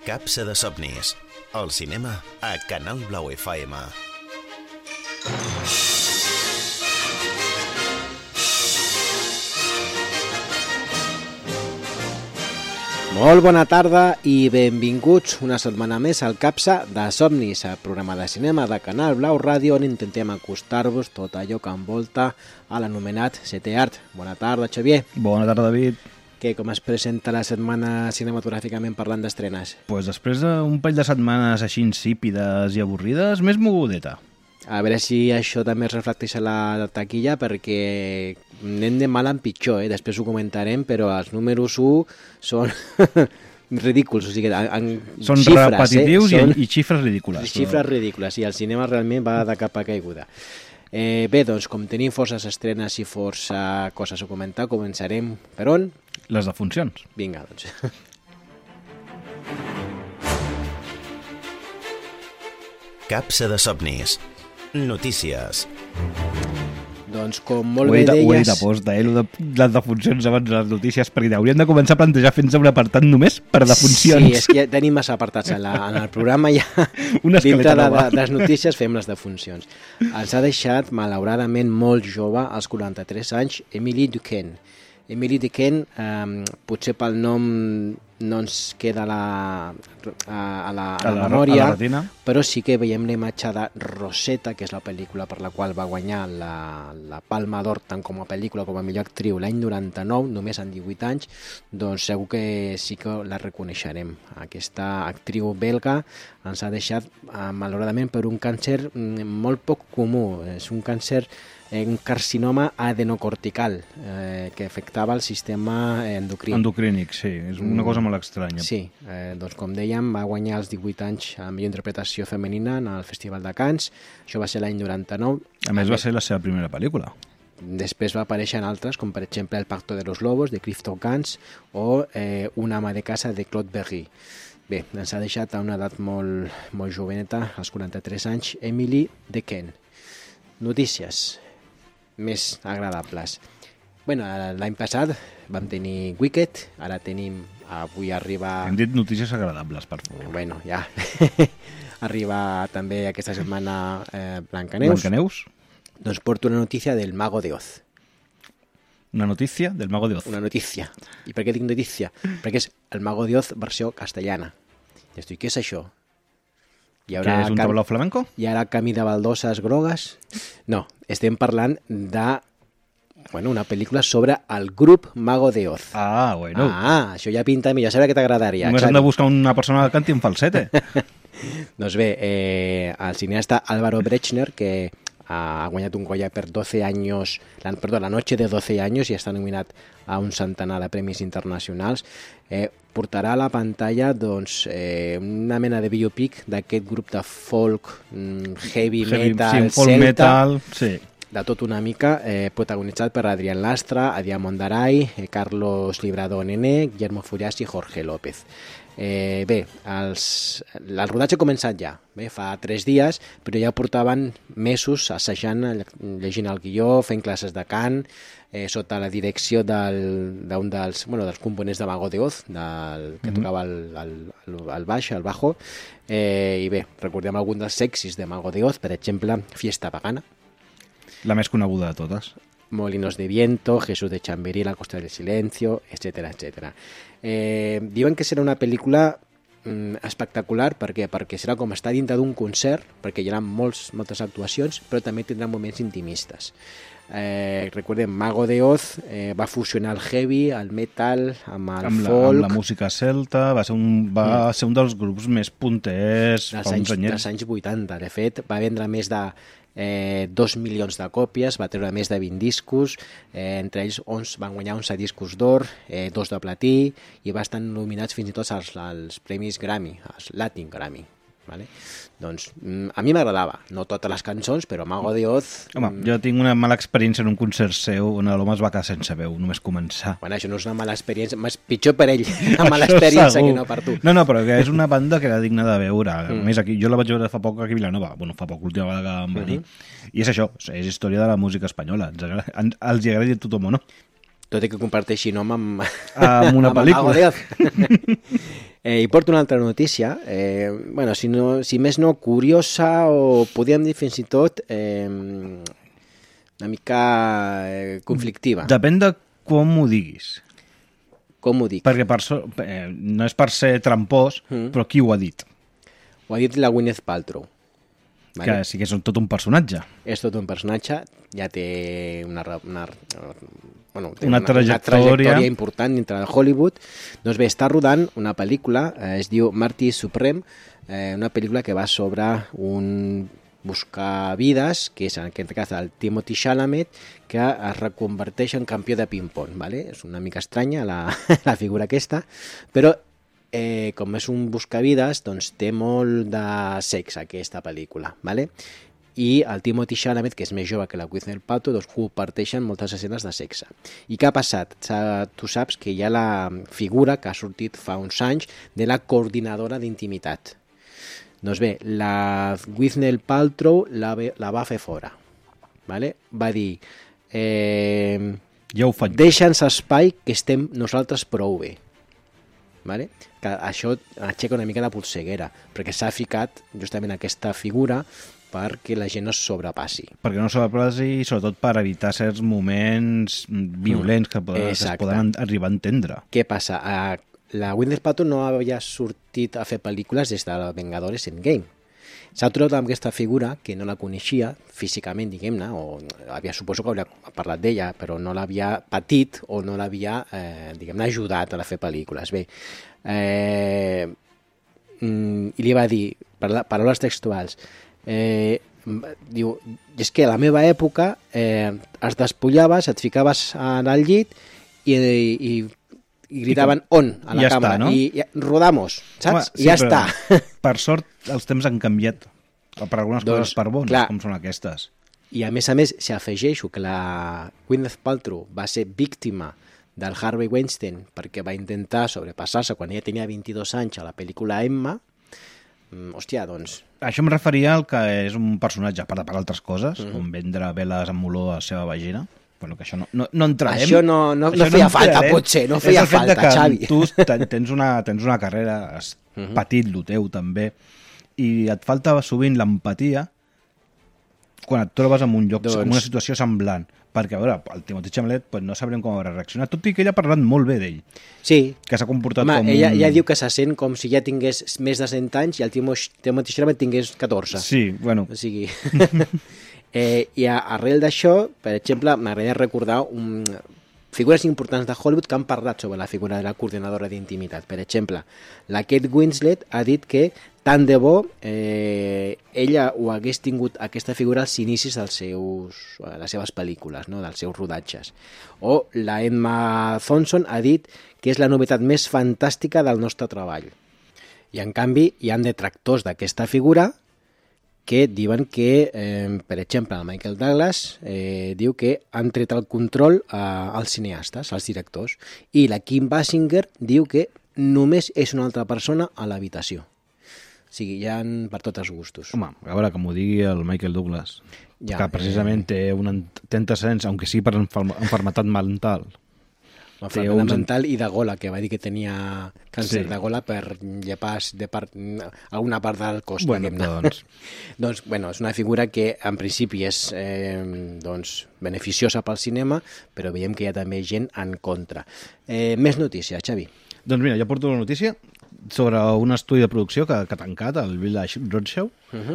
Capsa de somnis. El cinema a Canal Blau FM. Molt bona tarda i benvinguts una setmana més al Capsa de Somnis, el programa de cinema de Canal Blau Ràdio, on intentem acostar-vos tot allò que envolta a l'anomenat setè art. Bona tarda, Xavier. Bona tarda, David. Què, com es presenta la setmana cinematogràficament parlant d'estrenes? Pues després d'un parell de setmanes així insípides i avorrides, més mogudeta. A veure si això també es reflecteix a la taquilla, perquè anem de mal en pitjor, després ho comentarem, però els números 1 són ridículs, o sigui, són xifres, repetitius i xifres ridícules. Xifres ridícules, i el cinema realment va de capa caiguda. Bé, doncs, com tenim forces estrenes i força coses a comentar, començarem per on? Les defuncions. Vinga, doncs. Capsa de somnis. Notícies. Doncs com molt bé deies... Ho he dit a posta, les defuncions abans de les notícies, perquè hauríem de començar a plantejar fent-se un apartat només per defuncions. Sí, és que ja tenim massa apartats en el programa, ja una dintre de les notícies fem les defuncions. Els ha deixat, malauradament, molt jove, als 43 anys, Emily Duquesne. Emily Duquesne, potser pel nom no ens queda a la memòria, però sí que veiem la imatge de Rosetta, que és la pel·lícula per la qual va guanyar la Palma d'Or tant com a pel·lícula com a millor actriu l'any 99, només amb 18 anys, doncs segur que sí que la reconeixerem. Aquesta actriu belga ens ha deixat, malauradament, per un càncer molt poc comú. És un càncer, un carcinoma adenocortical que afectava el sistema endocrí. Endocrínic, sí, és una cosa molt estranya. Sí, doncs com dèiem, va guanyar als 18 anys a millor interpretació femenina en el Festival de Cannes, això va ser l'any 99. A més va ser la seva primera pel·lícula. Després va aparèixer en altres, com per exemple El Pacto de los Lobos, de Christophe Gans, o Una ama de casa, de Claude Berry. Bé, ens ha deixat a una edat molt, molt joveneta, als 43 anys, Emily Duquesne. Notícies més agradables. Bueno, l'any passat vam tenir Wicked, ara tenim, avui arriba... Hem dit notícies agradables, per favor. Bueno, ja. Arriba també aquesta setmana Blancaneus. Blancaneus? Doncs porto una notícia del Mago de Oz. Una notícia del Mago de Oz. Una notícia. I per què dic notícia? Perquè és el Mago de Oz versió castellana. I estic, què és això? Què és un tauló flamenco? Hi haurà camí de baldoses grogues? No, estem parlant de una pel·lícula sobre el grup Mago de Oz. Ah, bueno. Això ja pinta millor, sabeu que t'agradaria. Només hem de buscar una persona que canti en falsete. Doncs bé, el cineasta Álvaro Brechner, que ha guanyat un Goya per 12 anys, La noche de 12 anys, i està nominat a un centenar de premis internacionals, portarà a la pantalla una mena de biopic d'aquest grup de folk, heavy metal, folk celta, metal, sí. De tot una mica, protagonitzat per Adrián Lastra, Adrià Mondaray, Carlos Librado Nené, Guillermo Furias i Jorge López. Bé, el rodatge ha començat ja, fa 3 dies, però ja portaven mesos assajant, llegint el guió, fent classes de cant, sota la direcció d'un dels components de Mago de Oz, que tocava el baix, el bajo, i bé, recordem algun dels èxits de Mago de Oz, per exemple, Fiesta Pagana. La més coneguda de totes. Molinos de Viento, Jesús de Chamberí, La Costa del Silencio, etcètera, etcètera. Diuen que serà una pel·lícula espectacular, per què? Perquè serà com estar dintre d'un concert, perquè hi haurà moltes actuacions, però també tindrà moments intimistes. Recordem, Mago de Oz va fusionar el heavy, el metal, amb el folk... Amb la música celta, va ser un dels grups més punters dels anys 80. De fet, va vendre més de 2 milions de còpies, va treure més de 20 discos, entre ells van guanyar 11 discos d'or, 2 de platí, i va estar nominats fins i tot als premis Grammy, als Latin Grammy. Vale? Doncs a mi m'agradava, no totes les cançons, però Mago de Oz... Home, jo tinc una mala experiència en un concert seu on l'home es va quedar sense veu, només començar. Bueno, això no és una mala experiència, és pitjor per ell, una mala experiència que no per tu. No, però que és una banda que era digna de veure. A més, aquí, jo la vaig veure fa poc aquí a Vilanova, fa poc, l'última vegada que em va dir. I és això, és història de la música espanyola. Els agrada a tothom o no. Tot i que comparteixi nom amb una pel·lícula. Mago de Oz. I porto una altra notícia, bueno, si més no curiosa o podríem dir fins i tot una mica conflictiva. Depèn de com ho diguis. Com ho dic? Perquè no és per ser trampós, però qui ho ha dit? Ho ha dit la Gwyneth Paltrow. Vale? Que sí que és tot un personatge. És tot un personatge, ja té una trajectòria important dintre de Hollywood. Doncs bé, està rodant una pel·lícula, es diu Marty Supreme, una pel·lícula que va sobre un buscavides, que és en aquest cas el Timothy Chalamet, que es reconverteix en campió de ping-pong. ¿Vale? És una mica estranya la figura aquesta, però com és un buscavides, doncs té molt de sexe aquesta pel·lícula, ¿vale? I el Timothy Chalamet, que és més jove que la Gwyneth Paltrow, doncs comparteixen moltes escenes de sexe. I què ha passat? Tu saps que hi ha la figura que ha sortit fa uns anys de la coordinadora d'intimitat. Doncs bé, la Gwyneth Paltrow la va fer fora, ¿vale? Va dir ja ho faig. Deixa'ns espai que estem nosaltres prou bé. Vale? Que això aixeca una mica la polseguera, perquè s'ha ficat justament aquesta figura perquè la gent no es sobrepassi. Perquè no sobrepassi i sobretot per evitar certs moments violents que es poden arribar a entendre. Què passa? La Gwyneth Paltrow no havia sortit a fer pel·lícules des de Vengadores Endgame. S'ha trobat amb aquesta figura que no la coneixia físicament, diguem-ne, o suposo que hauria parlat d'ella, però no l'havia patit o no l'havia, diguem-ne, ajudat a fer pel·lícules. Bé, i li va dir, paraules textuals, diu, és que a la meva època es despullaves, et ficaves en el llit i gritaven on a la càmera, no? I rodamos, saps? Home, sí, i ja està. Per sort els temps han canviat per algunes coses per bons, clar, com són aquestes. I a més, si afegeixo que la Gwyneth Paltrow va ser víctima del Harvey Weinstein perquè va intentar sobrepassar-se quan ella tenia 22 anys a la pel·lícula Emma, hòstia, doncs... Això em referia al que és un personatge, a part de per altres coses, com vendre veles amb olor a la seva vagina. Bueno, que això no entrarem. Això no feia falta, potser, no feia falta, Xavi. Tu tens una carrera, has patit lo teu també, i et falta sovint l'empatia quan et trobes en un lloc, en una situació semblant. Perquè, a veure, el Timothy Chalamet no sabrem com haurà reaccionat, tot i que ella ha parlat molt bé d'ell. Sí. Que s'ha comportat com... Ella diu que se sent com si ja tingués més de 100 anys i el Timothy Chalamet tingués 14. Sí, bueno. O sigui... I arrel d'això, per exemple, m'agradaria recordar figures importants de Hollywood que han parlat sobre la figura de la coordinadora d'intimitat. Per exemple, la Kate Winslet ha dit que tant de bo ella ho hagués tingut aquesta figura als inicis de les seves pel·lícules, no? Dels seus rodatges. O la Emma Thompson ha dit que és la novetat més fantàstica del nostre treball. I en canvi hi ha detractors d'aquesta figura que diuen que, per exemple, el Michael Douglas diu que han tret el control als cineastes, als directors, i la Kim Basinger diu que només és una altra persona a l'habitació. O sigui, hi ha per tots els gustos. Home, a veure, com ho digui el Michael Douglas, que precisament té antecedents, aunque sigui per enfermetat mental. Enfermedad mental i de gola, que va dir que tenia càncer de gola per llepar alguna part del cos. Bueno, doncs, és una figura que en principi és beneficiosa pel cinema, però veiem que hi ha també gent en contra. Més notícies, Xavi. Doncs mira, jo porto una notícia sobre un estudi de producció que ha tancat, el Village Roadshow,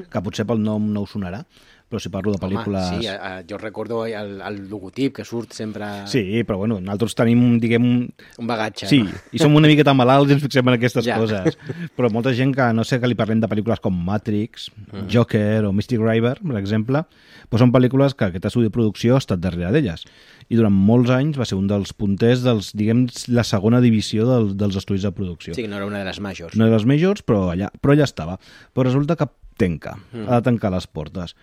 que potser pel nom no us sonarà, però si parlo de pel·lícules... Home, sí, jo recordo el logotip que surt sempre... Sí, però bueno, nosaltres tenim, diguem... Un bagatge. Sí, i som una miqueta malalts i ens fixem en aquestes coses. Però molta gent que no sé que li parlem de pel·lícules com Matrix, Joker o Mystic River, per exemple, doncs són pel·lícules que aquest estudi de producció ha estat darrere d'elles. I durant molts anys va ser un dels punters dels, diguem, la segona divisió dels estudis de producció. Sí, no era una de les majors. No era de les majors, però allà estava. Però resulta que ha de tancar les portes.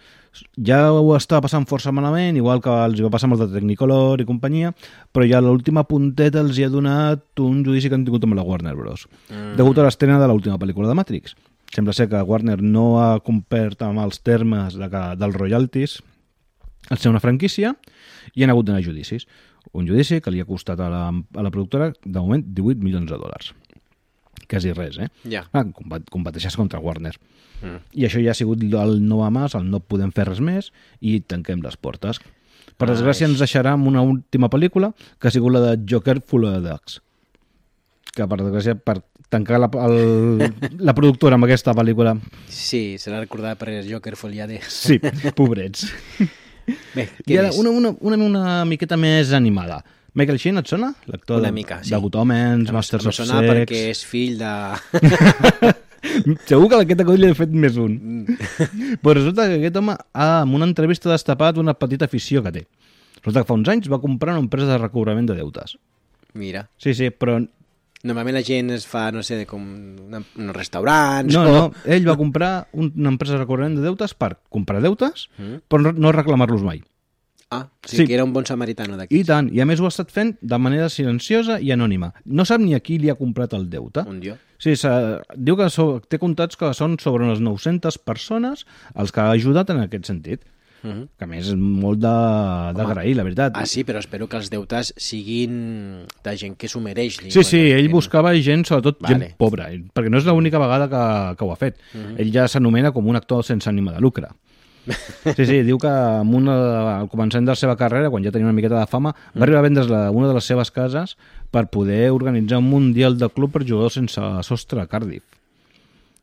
Ja ho està passant força malament, igual que els va passar amb el de Technicolor i companyia, però ja l'última punteta els hi ha donat un judici que han tingut amb la Warner Bros. Degut a l'estrena de l'última pel·lícula de Matrix. Sembla ser que Warner no ha complert amb els termes dels royalties al ser una franquícia i han hagut d'anar a judicis. Un judici que li ha costat a la productora, de moment, $18 milions. quasi res, Ja. Competeixes contra Warner. I això ja ha sigut el no va més, el no podem fer res més i tanquem les portes. Per desgràcia ens deixarà amb una última pel·lícula que ha sigut la de Joker Full of Ducks, que per desgràcia per tancar la productora amb aquesta pel·lícula. Sí, serà recordada per Joker Foliade. Sí, pobrets. Bé, I ara una miqueta més animada. Michael Sheen, et sona? L'actor Una mica, sí. de Good Omens, Masters of Sex. Perquè és fill de... Segur que aquest acudit li he fet més un. Però resulta que aquest home en una entrevista ha destapat una petita afició que té. Resulta que fa uns anys va comprar una empresa de recobrament de deutes. Mira. Sí, però... Normalment la gent es fa, no sé, com uns restaurants... No, ell va comprar una empresa de recobrament de deutes per comprar deutes, però no reclamar-los mai. Sí, que era un bon samaritano d'aquí. I tant, i a més ho ha estat fent de manera silenciosa i anònima. No sap ni a qui li ha comprat el deute. Un diu. Sí, diu que té comptats que són sobre unes 900 persones els que ha ajudat en aquest sentit. Que a més és molt d'agrair, la veritat. Sí, però espero que els deutes siguin de gent que s'ho mereix. Sí, ell buscava gent, sobretot gent pobra, perquè no és l'única vegada que ho ha fet. Ell ja s'anomena com un actor sense ànima de lucre. Sí, diu que al començament de la seva carrera, quan ja tenia una miqueta de fama, va arribar a vendre's una de les seves cases per poder organitzar un mundial de club per jugadors sense sostre a Cardiff.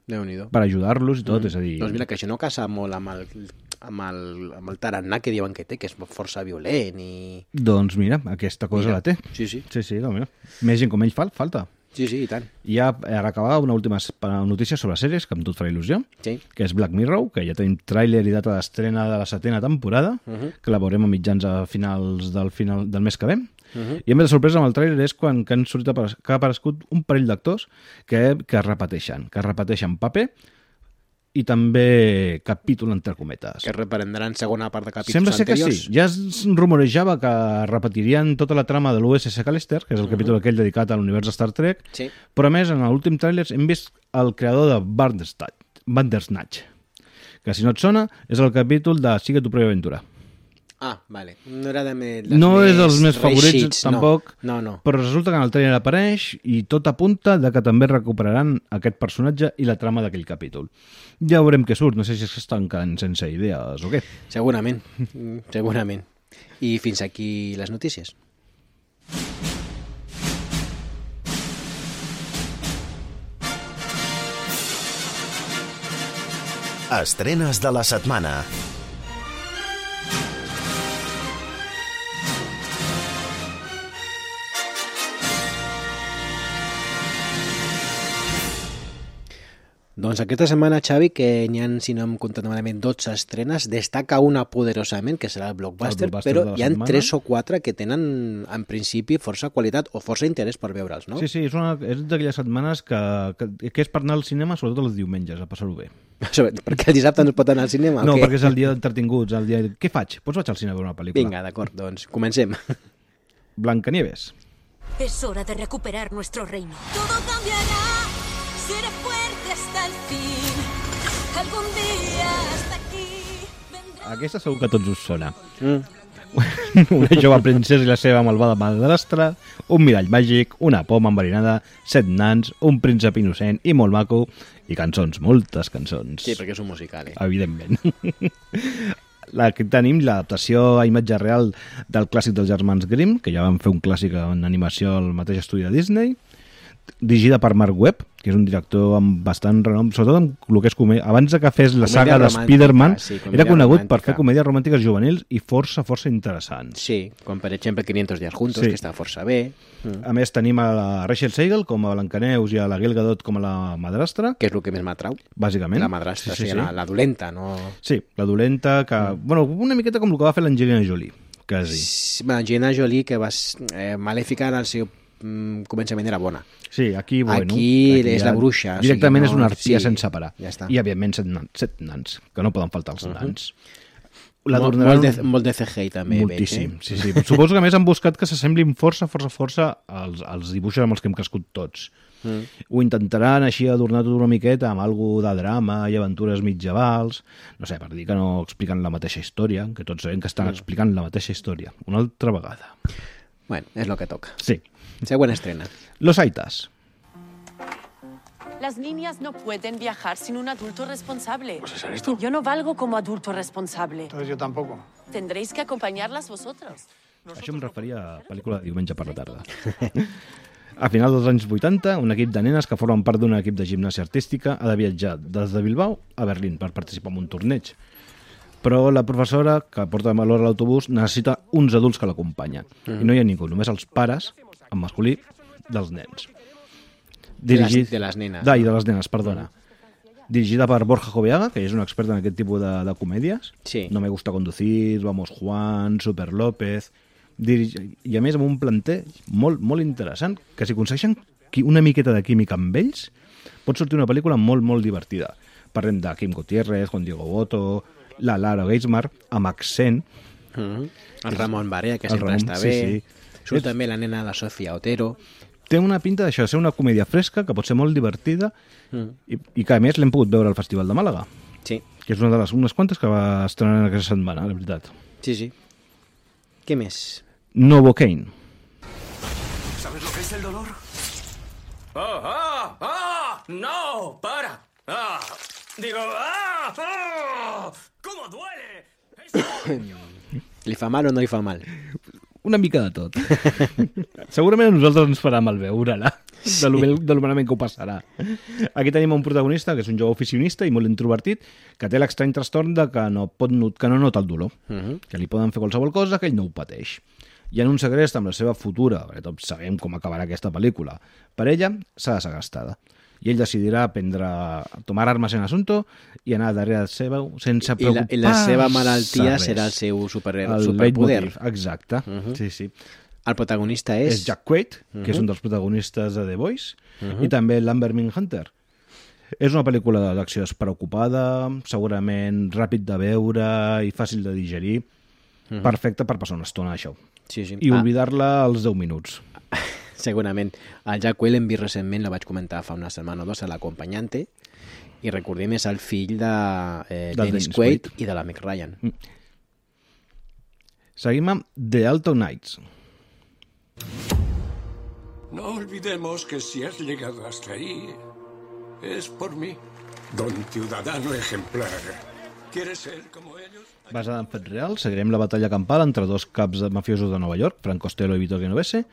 Déu-n'hi-do. Per ajudar-los i tot, és a dir... Doncs mira, que això no casa molt amb el tarannà que diuen que té, que és força violent i... Doncs mira, aquesta cosa la té. Sí. Sí, mira. Més gent com ell falta. Sí, i tant. I ja per acabar, una última notícia sobre sèries, que amb tu et farà il·lusió, que és Black Mirror, que ja tenim tràiler i data d'estrena de la 7ª temporada, que la veurem a mitjans a finals del mes que ve. I a més de sorpresa amb el tràiler és quan que ha aparegut un parell d'actors que repeteixen paper i també capítol entre cometes. Que reprendran segona part de capítols anteriors. Sembla anteriors. Que sí. Ja es rumorejava que repetirien tota la trama de l'USS Callister, que és el capítol aquell dedicat a l'univers de Star Trek, però a més, en l'últim tràiler hem vist el creador de Bandersnatch, que si no et sona, és el capítol de Sigue tu pròpia aventura. Vale. No era és dels més favorits, tampoc. No. Però resulta que en el trailer apareix i tot apunta de que també recuperaran aquest personatge i la trama d'aquell capítol. Ja veurem què surt. No sé si estan quedant sense idees o què. Segurament. I fins aquí les notícies. Estrenes de la setmana. Doncs aquesta setmana, Xavi, que n'hi ha, si no em comptat malament, 12 estrenes, destaca una poderosament, que serà el Blockbuster, però hi ha 3 o 4 que tenen, en principi, força qualitat o força interès per veure'ls, no? Sí, és d'aquelles setmanes que és per anar al cinema, sobretot els diumenges, a passar-ho bé. Perquè el dissabte no es pot anar al cinema? No, perquè és el dia d'entretinguts, el dia... Què faig? Doncs vaig al cinema a veure una pel·lícula. Vinga, d'acord, doncs comencem. Blancanieves. Es hora de recuperar nuestro reino. Todo cambiará. Seré fuerte hasta el fin. Algún día hasta aquí. Aquesta segur que a tots us sona. Una jove princesa i la seva malvada madrastra, un mirall màgic, una poma enverinada, 7 nans, un príncep innocent i molt maco, i cançons, moltes cançons. Sí, perquè és un musical, Evidentment. Aquí tenim l'adaptació a imatge real del clàssic dels germans Grimm, que ja van fer un clàssic en animació al mateix estudi de Disney, dirigida per Mark Webb, que és un director amb bastant renom, sobretot amb el que és comèdia. Abans que fes la saga de Spider-Man, era conegut per fer comèdies romàntiques juvenils i força interessants. Sí, com per exemple 500 días juntos, que està força bé. A més, tenim a la Rachel Zegel com a Blancaneus i a la Gal Gadot com a la madrastra. Que és el que més m'atrau. Bàsicament. La madrastra, sí. La dolenta, no? Sí, la dolenta, que... Bueno, una miqueta com el que va fer l'Angelina Jolie, quasi. L'Angelina Jolie, que va Malèfica en el seu començament era bona. Sí, aquí és la bruixa. Directament és una arpia sense parar. Ja està. I, òbviament, 7 nans, que no poden faltar els nans. Molt de CGI també. Moltíssim, sí. Suposo que a més han buscat que s'assemblin força als dibuixos amb els que hem crescut tots. Ho intentaran així adornar tot una miqueta amb alguna de drama i aventures mitjavals, no sé, per dir que no expliquen la mateixa història, que tots sabem que estan explicant la mateixa història, una altra vegada. Bueno, és el que toca. Sí. Següent estrena. Los Aitas. Las niñas no pueden viajar sin un adulto responsable. ¿Pues esa eres tú? Yo no valgo como adulto responsable. Entonces yo tampoco. Tendréis que acompañarlas vosotros. Això em referia a pel·lícula de diumenge per la tarda. A final dels anys 80, un equip de nenes que formen part d'un equip de gimnàsia artística ha de viatjar des de Bilbao a Berlín per participar en un torneig. Però la professora, que porta a l'hora l'autobús, necessita uns adults que l'acompanyen. I no hi ha ningú, només els pares, en masculí, dels nens. De les nenes. I de les nenes, perdona. Dirigida per Borja Joveaga, que és un expert en aquest tipus de comèdies. Sí. No me gusta conducir, Vamos Juan, Super López... I a més amb un planter molt, molt interessant, que si aconsegueixen una miqueta de química amb ells, pot sortir una pel·lícula molt, molt divertida. Parlem de Kim Gutiérrez, Juan Diego Boto, la Lara Geismar, amb accent. El Ramon Barea, que sempre està bé. Sí. Surt també la nena de Sofia Otero. Té una pinta d'això, de ser una comèdia fresca, que pot ser molt divertida, i que a més l'hem pogut veure al Festival de Màlaga. Sí. Que és una de les unes quantes que va estrenar en aquesta setmana, la veritat. Sí, sí. Què més? Novocaine. ¿Sabes lo que es el dolor? ¡No! ¡Para! ¿Cómo duele? Li fa mal o no li fa mal? Una mica de tot. Segurament a nosaltres ens farà mal veure-la, de lo malament que ho passarà. Aquí tenim un protagonista que és un jove oficinista i molt introvertit, que té l'estrany trastorn de que no nota el dolor, que li poden fer qualsevol cosa que ell no ho pateix. I en un segrest amb la seva futura, perquè tots sabem com acabarà aquesta pel·lícula, per ella s'ha de segrestada. I ell decidirà tomar armes en assunto i anar darrere seva sense preocupar-se. I la seva malaltia serà el seu superpoder. Exacte, sí, sí. El protagonista és Jack Quaid, que és un dels protagonistes de The Boys, i també Lambert Minhunter. És una pel·lícula d'acció despreocupada, segurament ràpid de veure i fàcil de digerir, perfecte per passar una estona, això. Sí, sí. I oblidar-la als 10 minuts. Segurament. El Jack Quaid l'hem vist recentment, la vaig comentar fa una setmana o dues, a l'Acompanyante, i recordem, és el fill de Dennis Quaid i de la Meg Ryan. Seguim amb The Alto Nights. No olvidemos que si has llegado hasta ahí, es por mí. Don Ciudadano ejemplar. ¿Quieres ser como ellos? Basada en fets reals, seguirem la batalla campal entre dos caps mafiosos de Nova York, Frank Costello i Vito Genovese,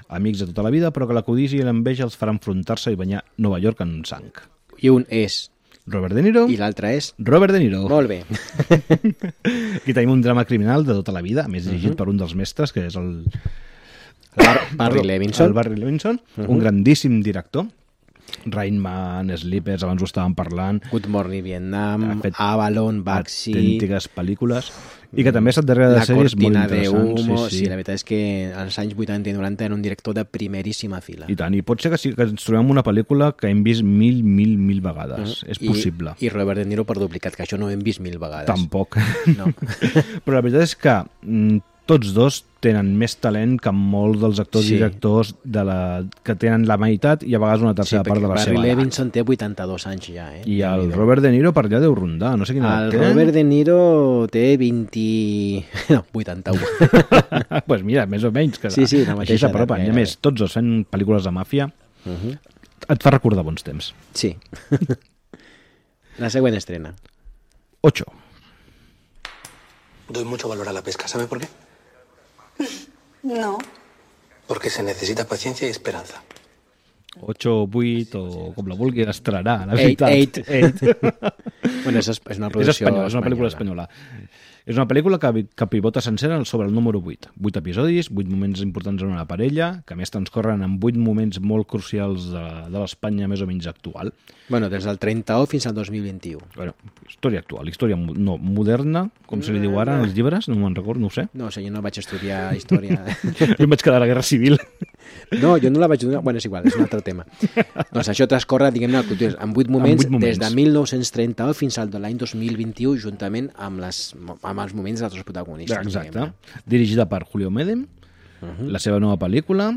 amics de tota la vida, però que la codícia i l'enveja els farà enfrontar-se i banyar Nova York en sang. I un és Robert De Niro. I l'altre és Robert De Niro. Molt bé. Aquí tenim un drama criminal de tota la vida, a més dirigit per un dels mestres, que és el Barry Levinson. El Barry Levinson, un grandíssim director. Rain Man, Sleepers, abans ho estàvem parlant. Good Morning Vietnam, Avalon, Baxi... Autèntiques pel·lícules. I que també ha estat darrere de sèries molt interessants. La Cortina de Humo, sí, la veritat és que als anys 80 i 90 era un director de primeríssima fila. I tant, i pot ser que ens trobem una pel·lícula que hem vist mil vegades. És possible. I Robert De Niro per duplicat, que això no ho hem vist 1000 vegades. Tampoc. No. Però la veritat és que tots dos tenen més talent que molts dels actors i directors que tenen la meitat i a vegades una tercera part de la seva edat. Barry Levinson té 82 anys ja, eh? I el Robert De Niro per allà deu rondar, no sé quina edat té. El Robert De Niro té 81. Pues mira, més o menys, que sí, la mateixa edat. I a més, tots dos fent pel·lícules de màfia, et fa recordar bons temps. Sí. La següent estrena. 8. Doy mucho valor a la pesca, ¿sabe por qué? No. Porque se necesita paciencia y esperanza. 8, 8 o com la vulgui estrenar, la veritat. 8. Bueno, és una producció espanyola. És una pel·lícula espanyola. És una pel·lícula que pivota sencera sobre el número 8. 8 episodis, 8 moments importants en una parella, que a més transcorren en 8 moments molt crucials de l'Espanya més o menys actual. Bueno, des del 31 fins al 2021. Bueno, història actual, història moderna, com se li diu ara en els llibres, no me'n recordo, no ho sé. No sé, jo no vaig estudiar història. Jo em vaig quedar a la Guerra Civil. No, jo no la vaig estudiar, bueno, és igual, és un altre tema. Doncs això transcorre, diguem-ne, en 8 moments, des de 1931 fins al de l'any 2021, juntament amb els moments dels altres protagonistes. Exacte. Dirigida per Julio Medem, la seva nova pel·lícula,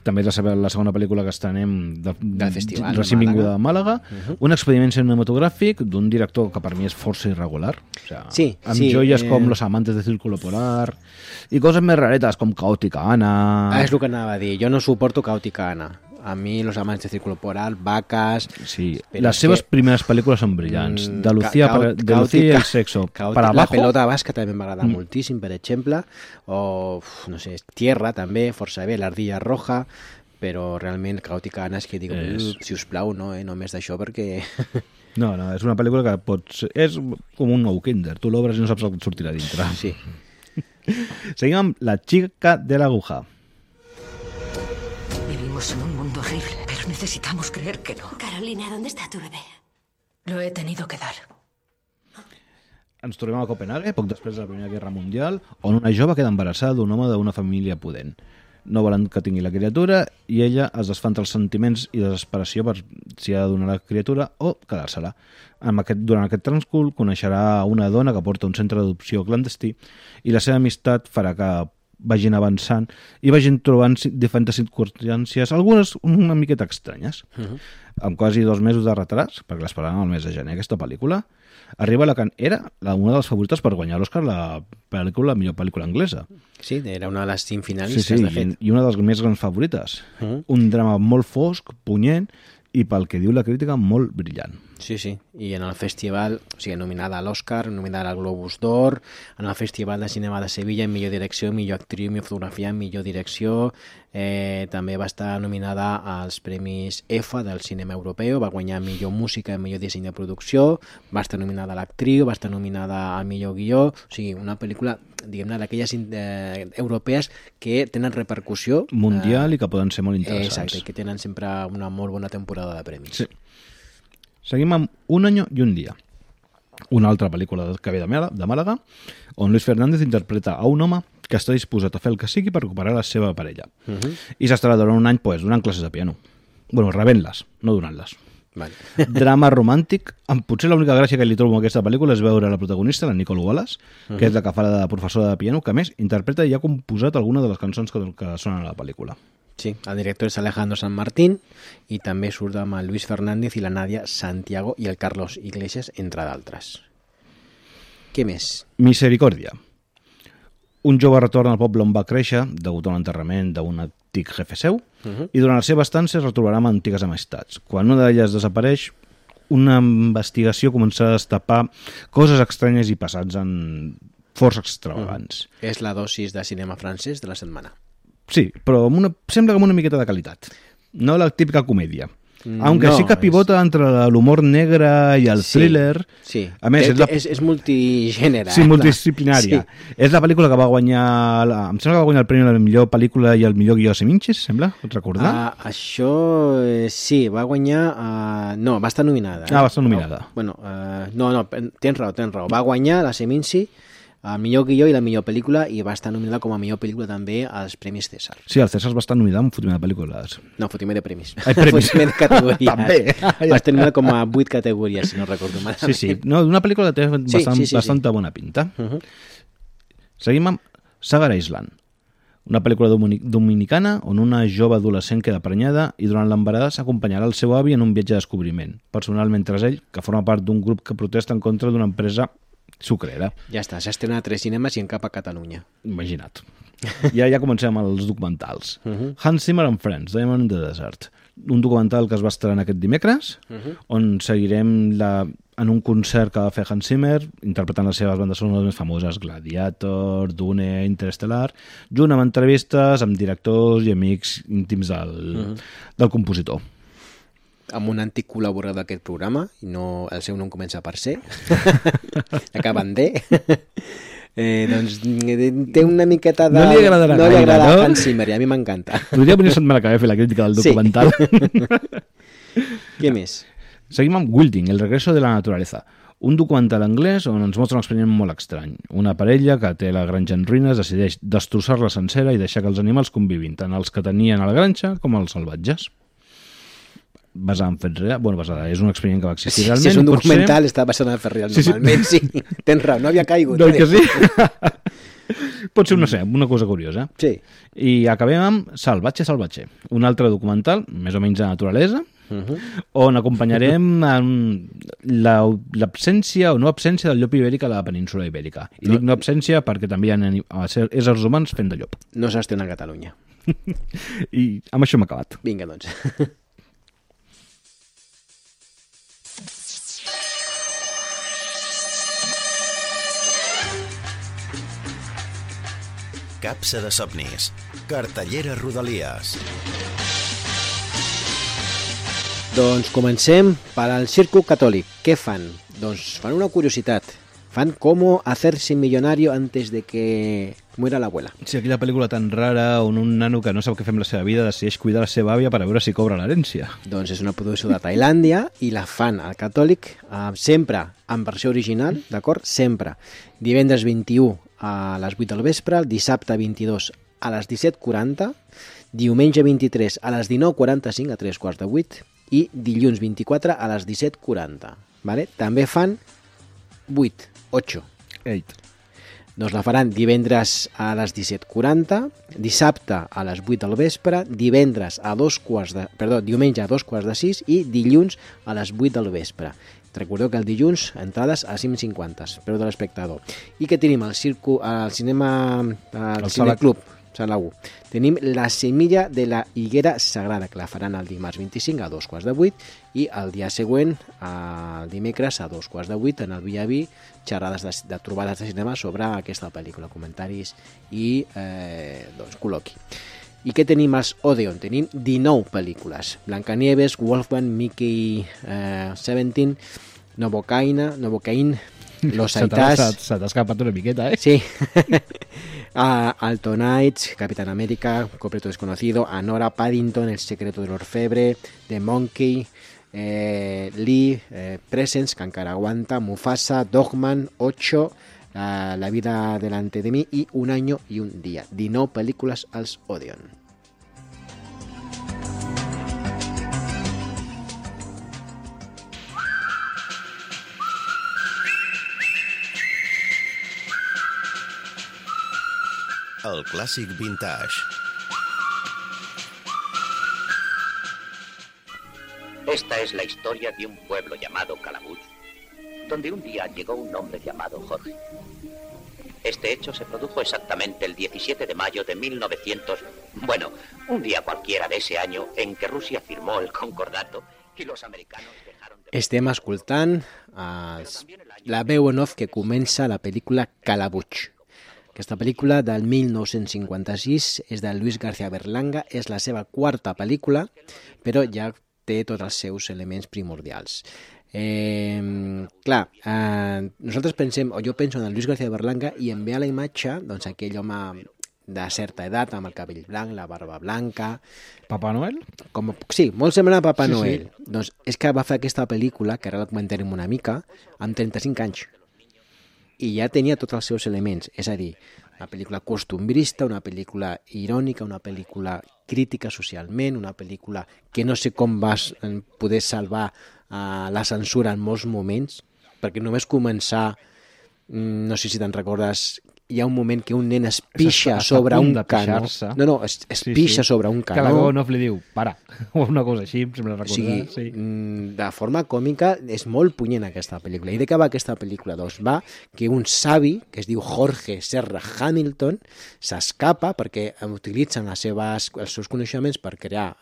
també és la segona pel·lícula que estrenem del festival recent vinguda de Màlaga, un experiment cinematogràfic d'un director que per mi és força irregular, o sigui, amb joies com Los amantes de Círculo Polar i coses més raretes com Caòtica Anna. És el que anava a dir, jo no suporto Caòtica Anna. A mi Los amantes de Círculo Polar, Vacas... Sí, Pero les és seves que- primeres pel·lícules són brillants. De Lucía, Caòtica- de Lucía y el sexo. Caòtica- Para La abajo. pelota basca també m'agrada moltíssim, per exemple. O, no sé, Tierra també, força bé, l'Ardilla Roja, però realment Caòtica Anna és que dic, si us plau, no, només d'això perquè... No, és una pel·lícula que pots... És com un nou Kinder. Tu l'obres i no saps el que et sortirà dintre. Sí. Seguim amb La chica de la aguja. Vivimos en un mundo horrible, pero necesitamos creer que no. Carolina, ¿dónde está tu bebé? Lo he tenido que dar. Ens trobem a Copenhague, poc després de la Primera Guerra Mundial, on una jove queda embarassada d'un home d'una família pudent. No volen que tingui la criatura i ella es desfà entre els sentiments i desesperació per si ha de donar la criatura o quedar-se-la. Durant aquest transcurs coneixerà una dona que porta un centre d'adopció clandestí i la seva amistat farà que vagin avançant i vagin trobant diferents circumstàncies, algunes una miqueta estranyes. Amb quasi 2 mesos de retras, perquè l'esperàvem al mes de gener, aquesta pel·lícula, arriba era una de les favorites per guanyar l'Oscar la millor pel·lícula anglesa. Sí, era una de les 5 finalistes, sí, de fet. i una de les més grans favorites. Un drama molt fosc, punyent, i pel que diu la crítica, molt brillant. Sí, sí, i en el festival, o sigui, nominada a l'Oscar, nominada al Globus d'Or, en el Festival de Cinema de Sevilla en millor direcció, millor actriu, millor fotografia, millor direcció, també va estar nominada als Premis EFA del cinema europeu, va guanyar millor música, millor disseny de producció, va estar nominada a l'actriu, va estar nominada al millor guió, o sigui, una pel·lícula, diguem-ne, d'aquelles europees que tenen repercussió mundial i que poden ser molt interessants. Exacte, que tenen sempre una molt bona temporada de premis. Sí. Seguim amb Un año y un día, una altra pel·lícula que ve de Màlaga, on Luis Fernández interpreta a un home que està disposat a fer el que sigui per recuperar la seva parella. I s'estarà durant un any donant classes de piano. Bueno, rebent-les, no donant-les. Vale. Drama romàntic, amb potser l'única gràcia que li trobo a aquesta pel·lícula és veure la protagonista, la Nicole Wallace, que és la que fa de professora de piano, que a més interpreta i ha composat alguna de les cançons que sonen a la pel·lícula. Sí, el director és Alejandro San Martín i també surt amb el Luis Fernández i la Nadia Santiago i el Carlos Iglesias, entre d'altres. Què més? Misericòrdia. Un jove retorna al poble on va créixer degut a un enterrament d'un antic jefe seu i durant la seva estància es retrobarà amb antigues amistats. Quan una d'elles desapareix, una investigació començarà a destapar coses estranyes i passats en força extravagants. És la dosis de cinema francès de la setmana. Sí, però sembla que amb una miqueta de qualitat. No la típica comèdia. Aunque no, sí que pivota entre l'humor negre i el thriller. Sí, A més, és multigènere. Sí, multidisciplinària. Sí. És la pel·lícula que va guanyar... Em sembla que va guanyar el premi a la millor pel·lícula i el millor guió a Seminches, sembla? Pots recordar? Això sí, va guanyar... no, va estar nominada. Va estar nominada. Bueno, no, tens raó. Va guanyar la Seminci, el millor guió i la millor pel·lícula, i va estar nominada com a millor pel·lícula també als Premis César. Sí, el César va estar nominat amb fotiment de pel·lícules. No, fotiment de premis. Premis. Fotiment de categories. També. Va estar nominada com a 8 categories, si no recordo malament. Sí. No, una pel·lícula que té bastanta bona pinta. Seguim amb Sagar Island, una pel·lícula dominicana on una jove adolescent queda prenyada i durant l'embaràs acompanyarà el seu avi en un viatge de descobriment, personal mentre ell, que forma part d'un grup que protesta en contra d'una empresa sucrera. Ja està, s'ha estrenat a 3 cinemes i en cap a Catalunya. Imagina't. Ja comencem amb els documentals. Hans Zimmer and Friends, Diamond in the Desert. Un documental que es va estrenar aquest dimecres, on seguirem en un concert que va fer Hans Zimmer, interpretant les seves bandes sonores més famoses, Gladiator, Dune, Interstellar, junt amb entrevistes amb directors i amics íntims del compositor. Amb un antic col·laborador d'aquest programa, i no, el seu nom comença per C, acaba en D, doncs té una miqueta de... No li agradarà no li gaire, agrada no? Hans Zimmer, i a mi m'encanta. Podria venir la setmana que ve a fer la crítica del documental. Sí. Què més? Seguim amb Wilding, el regreso de la naturaleza. Un documental anglès on ens mostra un experiment molt estrany. Una parella que té la granja en ruïnes decideix destrossar-la sencera i deixar que els animals convivin, tant els que tenien a la granja com els salvatges. Basada en fets reals. Bueno, és un experiment que va existir realment. Si és un documental, està basat en fets reals normalment, sí. Tens raó, no havia caigut. No, que sí? Pot ser, no sé, una cosa curiosa. Sí. I acabem amb Salvatge, un altre documental, més o menys de naturalesa, on acompanyarem l'absència o no absència del llop ibèric a la península ibèrica. I dic no absència perquè també hi ha éssers humans fent de llop. No s'estrena a Catalunya. I amb això m'ha acabat. Vinga, doncs. Capsa de somnis. Cartellera Rodalies. Doncs comencem per al Circo Catòlic. Què fan? Doncs fan una curiositat. Fan cómo hacerse millonario antes de que muera la abuela. Sí, aquella pel·lícula tan rara on un nano que no sap què fer amb la seva vida decideix cuidar la seva àvia per a veure si cobra l'herència. Doncs és una producció de Tailàndia i la fan al Catòlic sempre en versió original, d'acord? Sempre. Divendres 21 a les 8 del vespre, el dissabte 22 a les 17:40, diumenge 23 a les 19:45 a 3:15 i dilluns 24 a les 17:40. Vale? També fan 8. Doncs la faran divendres a les 17:40, dissabte a les 8 del vespre, diumenge a 2:15 i dilluns a les 8 del vespre. Recordeu que el dilluns, entrades a 5,50, preu de l'espectador. I què tenim al cinema, al Cineclub, Sala 1? Tenim La semilla de la higuera sagrada, que la faran el dimarts 25 a 2:15 i el dia següent, el dimecres a 2:15 en el Villaví, xerrades de trobades de cinema sobre aquesta pel·lícula, comentaris i col·loqui. I què tenim als Odeon? Tenim 19 pel·lícules. Blancanieves, Wolfman, Mickey 17, Novocaine, Los Aitas... Se t'ha escapat una miqueta, eh? Sí. Alto Knights, Capitán América, Completo Desconocido, Anora, Paddington, El secreto del orfebre, The Monkey, Lee, Presence, que encara aguanta, Mufasa, Dogman, 8, La vida delante de mí i Un año y un día. 19 pel·lícules als Odeon. El clàssic vintage. Esta es la historia de un pueblo llamado Calabuch, donde un día llegó un hombre llamado Jorge. Este hecho se produjo exactamente el 17 de mayo de 1900... Bueno, un día cualquiera de ese año en que Rusia firmó el concordato y los americanos dejaron de... Estem escoltant la veu en off que comença la pel·lícula Calabuch. Aquesta pel·lícula del 1956 és de Luis García Berlanga, és la seva quarta pel·lícula, però ja té tots els seus elements primordials. Nosaltres pensem, o jo penso en el Luis García Berlanga i em ve a la imatge doncs, aquell home de certa edat amb el cabell blanc, la barba blanca... Papa Noel? Sí, molt semblant a Papa Noel. Sí. Doncs és que va fer aquesta pel·lícula, que ara la comentarem una mica, amb 35 anys. I ja tenia tots els seus elements, és a dir, una pel·lícula costumbrista, una pel·lícula irònica, una pel·lícula crítica socialment, una pel·lícula que no sé com vas poder salvar la censura en molts moments, perquè només començar, no sé si te'n recordes, hi ha un moment que un nen es pixa sobre un canó. No, es pixa sobre un canó. Que la Gonov li diu, para, o una cosa així, em sembla recordar. O sigui, de forma còmica és molt punyent aquesta pel·lícula. I de què va aquesta pel·lícula? Doncs va que un savi, que es diu Jorge Serra Hamilton, s'escapa perquè utilitzen els seus coneixements per crear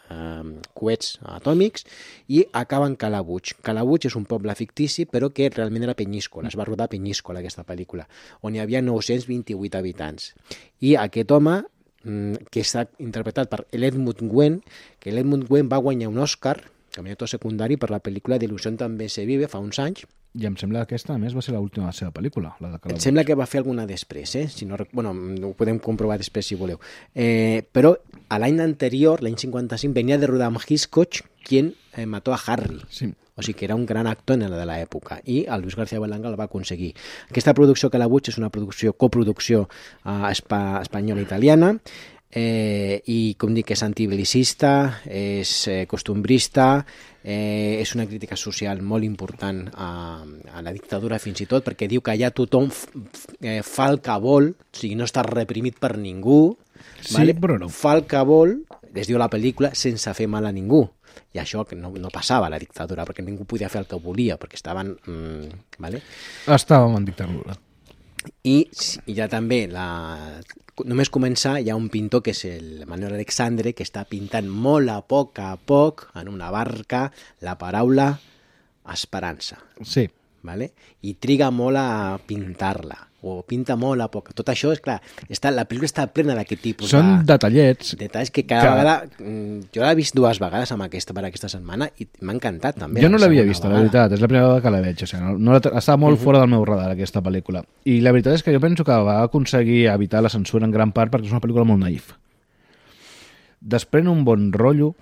coets atòmics i acaba en Calabuch. Calabuch és un poble fictici, però que realment era Penyíscola. Es va rodar a Penyíscola, aquesta pel·lícula, on hi havia 928 habitants. I aquest home, que està interpretat per l'Edmund Gwen, que l'Edmund Gwen va guanyar un Òscar com a actor secundari per la pel·lícula d'Il·lusió també se vive, fa uns anys. I em sembla que aquesta, a més, va ser l'última de la seva pel·lícula, la de Calabuch. Em sembla que va fer alguna després, Si no, bueno, ho podem comprovar després si voleu. Però a l'any anterior, l'any 55, venia de rodar amb Hitchcock, qui mató a Harry. Sí. O sigui que era un gran actor en la de l'època i el Luis García Berlanga el va aconseguir. Aquesta producció Calabuch és una coproducció espanyola-italiana i com dic és antibelicista, és costumbrista, és una crítica social molt important a la dictadura fins i tot, perquè diu que allà tothom fa el que vol, o sigui no està reprimit per ningú, sí, però no. Fa el que vol, es diu la pel·lícula, sense fer mal a ningú. I això no passava a la dictadura, perquè ningú podia fer el que volia, perquè estaven... Estàvem en dictadura. I ja també, només començar, hi ha un pintor que és el Manuel Alexandre, que està pintant molt a poc en una barca la paraula esperança. Sí. Vale? I triga molt a pintar-la, o pinta molt a poc. Tot això, és clar, la pel·lícula està plena d'aquest tipus Són detallets. Detalls que cada vegada... Jo l'he vist 2 vegades per aquesta setmana i m'ha encantat també. Jo no l'havia vist, la veritat, és la primera vegada que la veig. O sigui, està molt fora del meu radar, aquesta pel·lícula. I la veritat és que jo penso que va aconseguir evitar la censura en gran part perquè és una pel·lícula molt naïf. Desprèn un bon rotllo,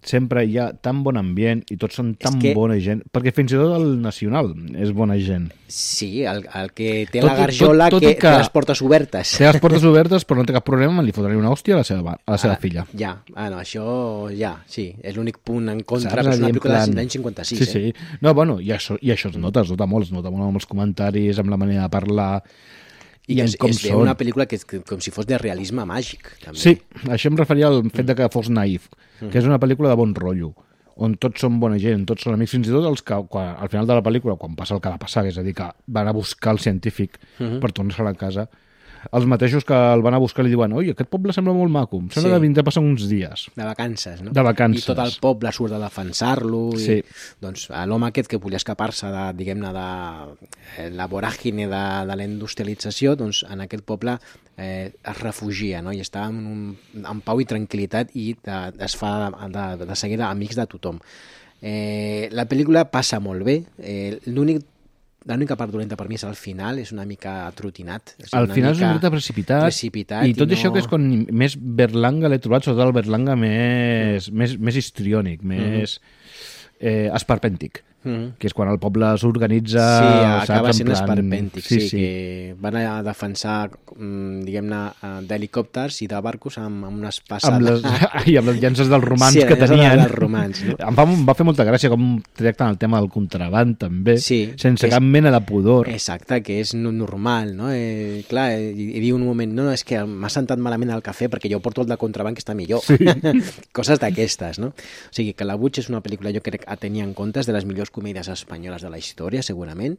sempre hi ha tan bon ambient i tots són tan bona gent, perquè fins i tot el nacional és bona gent. Sí, el que té la garjola que té les portes obertes. Té les portes obertes però no té cap problema, li fotrà una hòstia a la seva filla. Ja, això ja, sí, és l'únic punt en contra, però és una pel·lícula de l'any 56. Sí. No, bueno, i això es nota molt, amb els comentaris, amb la manera de parlar... I es veu una pel·lícula que és com si fos de realisme màgic. També. Sí, això em referia al fet de que fos naïf, que és una pel·lícula de bon rotllo, on tots són bona gent, tots són amics, fins i tot els que al final de la pel·lícula, quan passa el que va passar, és a dir, que van a buscar el científic per tornar-se a la casa, els mateixos que el van a buscar li diuen oi, aquest poble sembla molt maco, em sembla que vindrà a passar uns dies. De vacances, no? De vacances. I tot el poble surt a defensar-lo. Sí. Doncs l'home aquest que volia escapar-se de, diguem-ne, de la voràgine de la industrialització, doncs en aquest poble es refugia, no? I està en pau i tranquil·litat i es fa de seguida amics de tothom. La pel·lícula passa molt bé. L'única part dolenta per mi és al final, és una mica atrotinat. Al final és una mica precipitat i tot això que és quan més Berlanga l'he trobat, sobretot el Berlanga més histriònic, més esperpèntic, que és quan el poble s'organitza... Sí, acaba sent esperpèntic, sí, que van a defensar, diguem-ne, d'helicòpters i de barcos amb unes passades... I amb les llances dels romans que tenien. Dels romans, no? Em va fer molta gràcia com tracten el tema del contraband, també, sense cap mena de pudor. Exacte, que és normal, no? Clar, i diu un moment, no, és que m'ha sentat malament el cafè perquè jo porto el de contraband que està millor. Sí. Coses d'aquestes, no? O sigui, que La Butch és una pel·lícula, jo crec, a tenir en compte, és de les millors comèdies espanyoles de la història, segurament.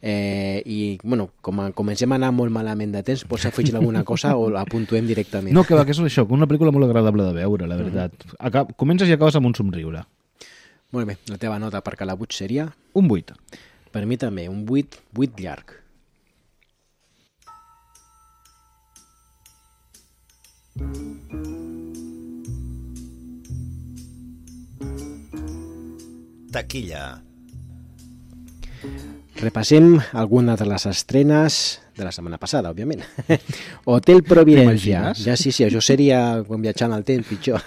I, bueno, com comencem a anar molt malament de temps, pots afegir alguna cosa o la puntuem directament? No, que és això, una pel·lícula molt agradable de veure, la veritat. Comences i acabes amb un somriure. Molt bé, la teva nota per La Butch seria? Un 8. Per mi també, un 8 llarg. Taquilla. Repassem algunes de les estrenes de la setmana passada, òbviament. Hotel Providencia. Ja sí, això seria quan viatjant al temps, pitjor.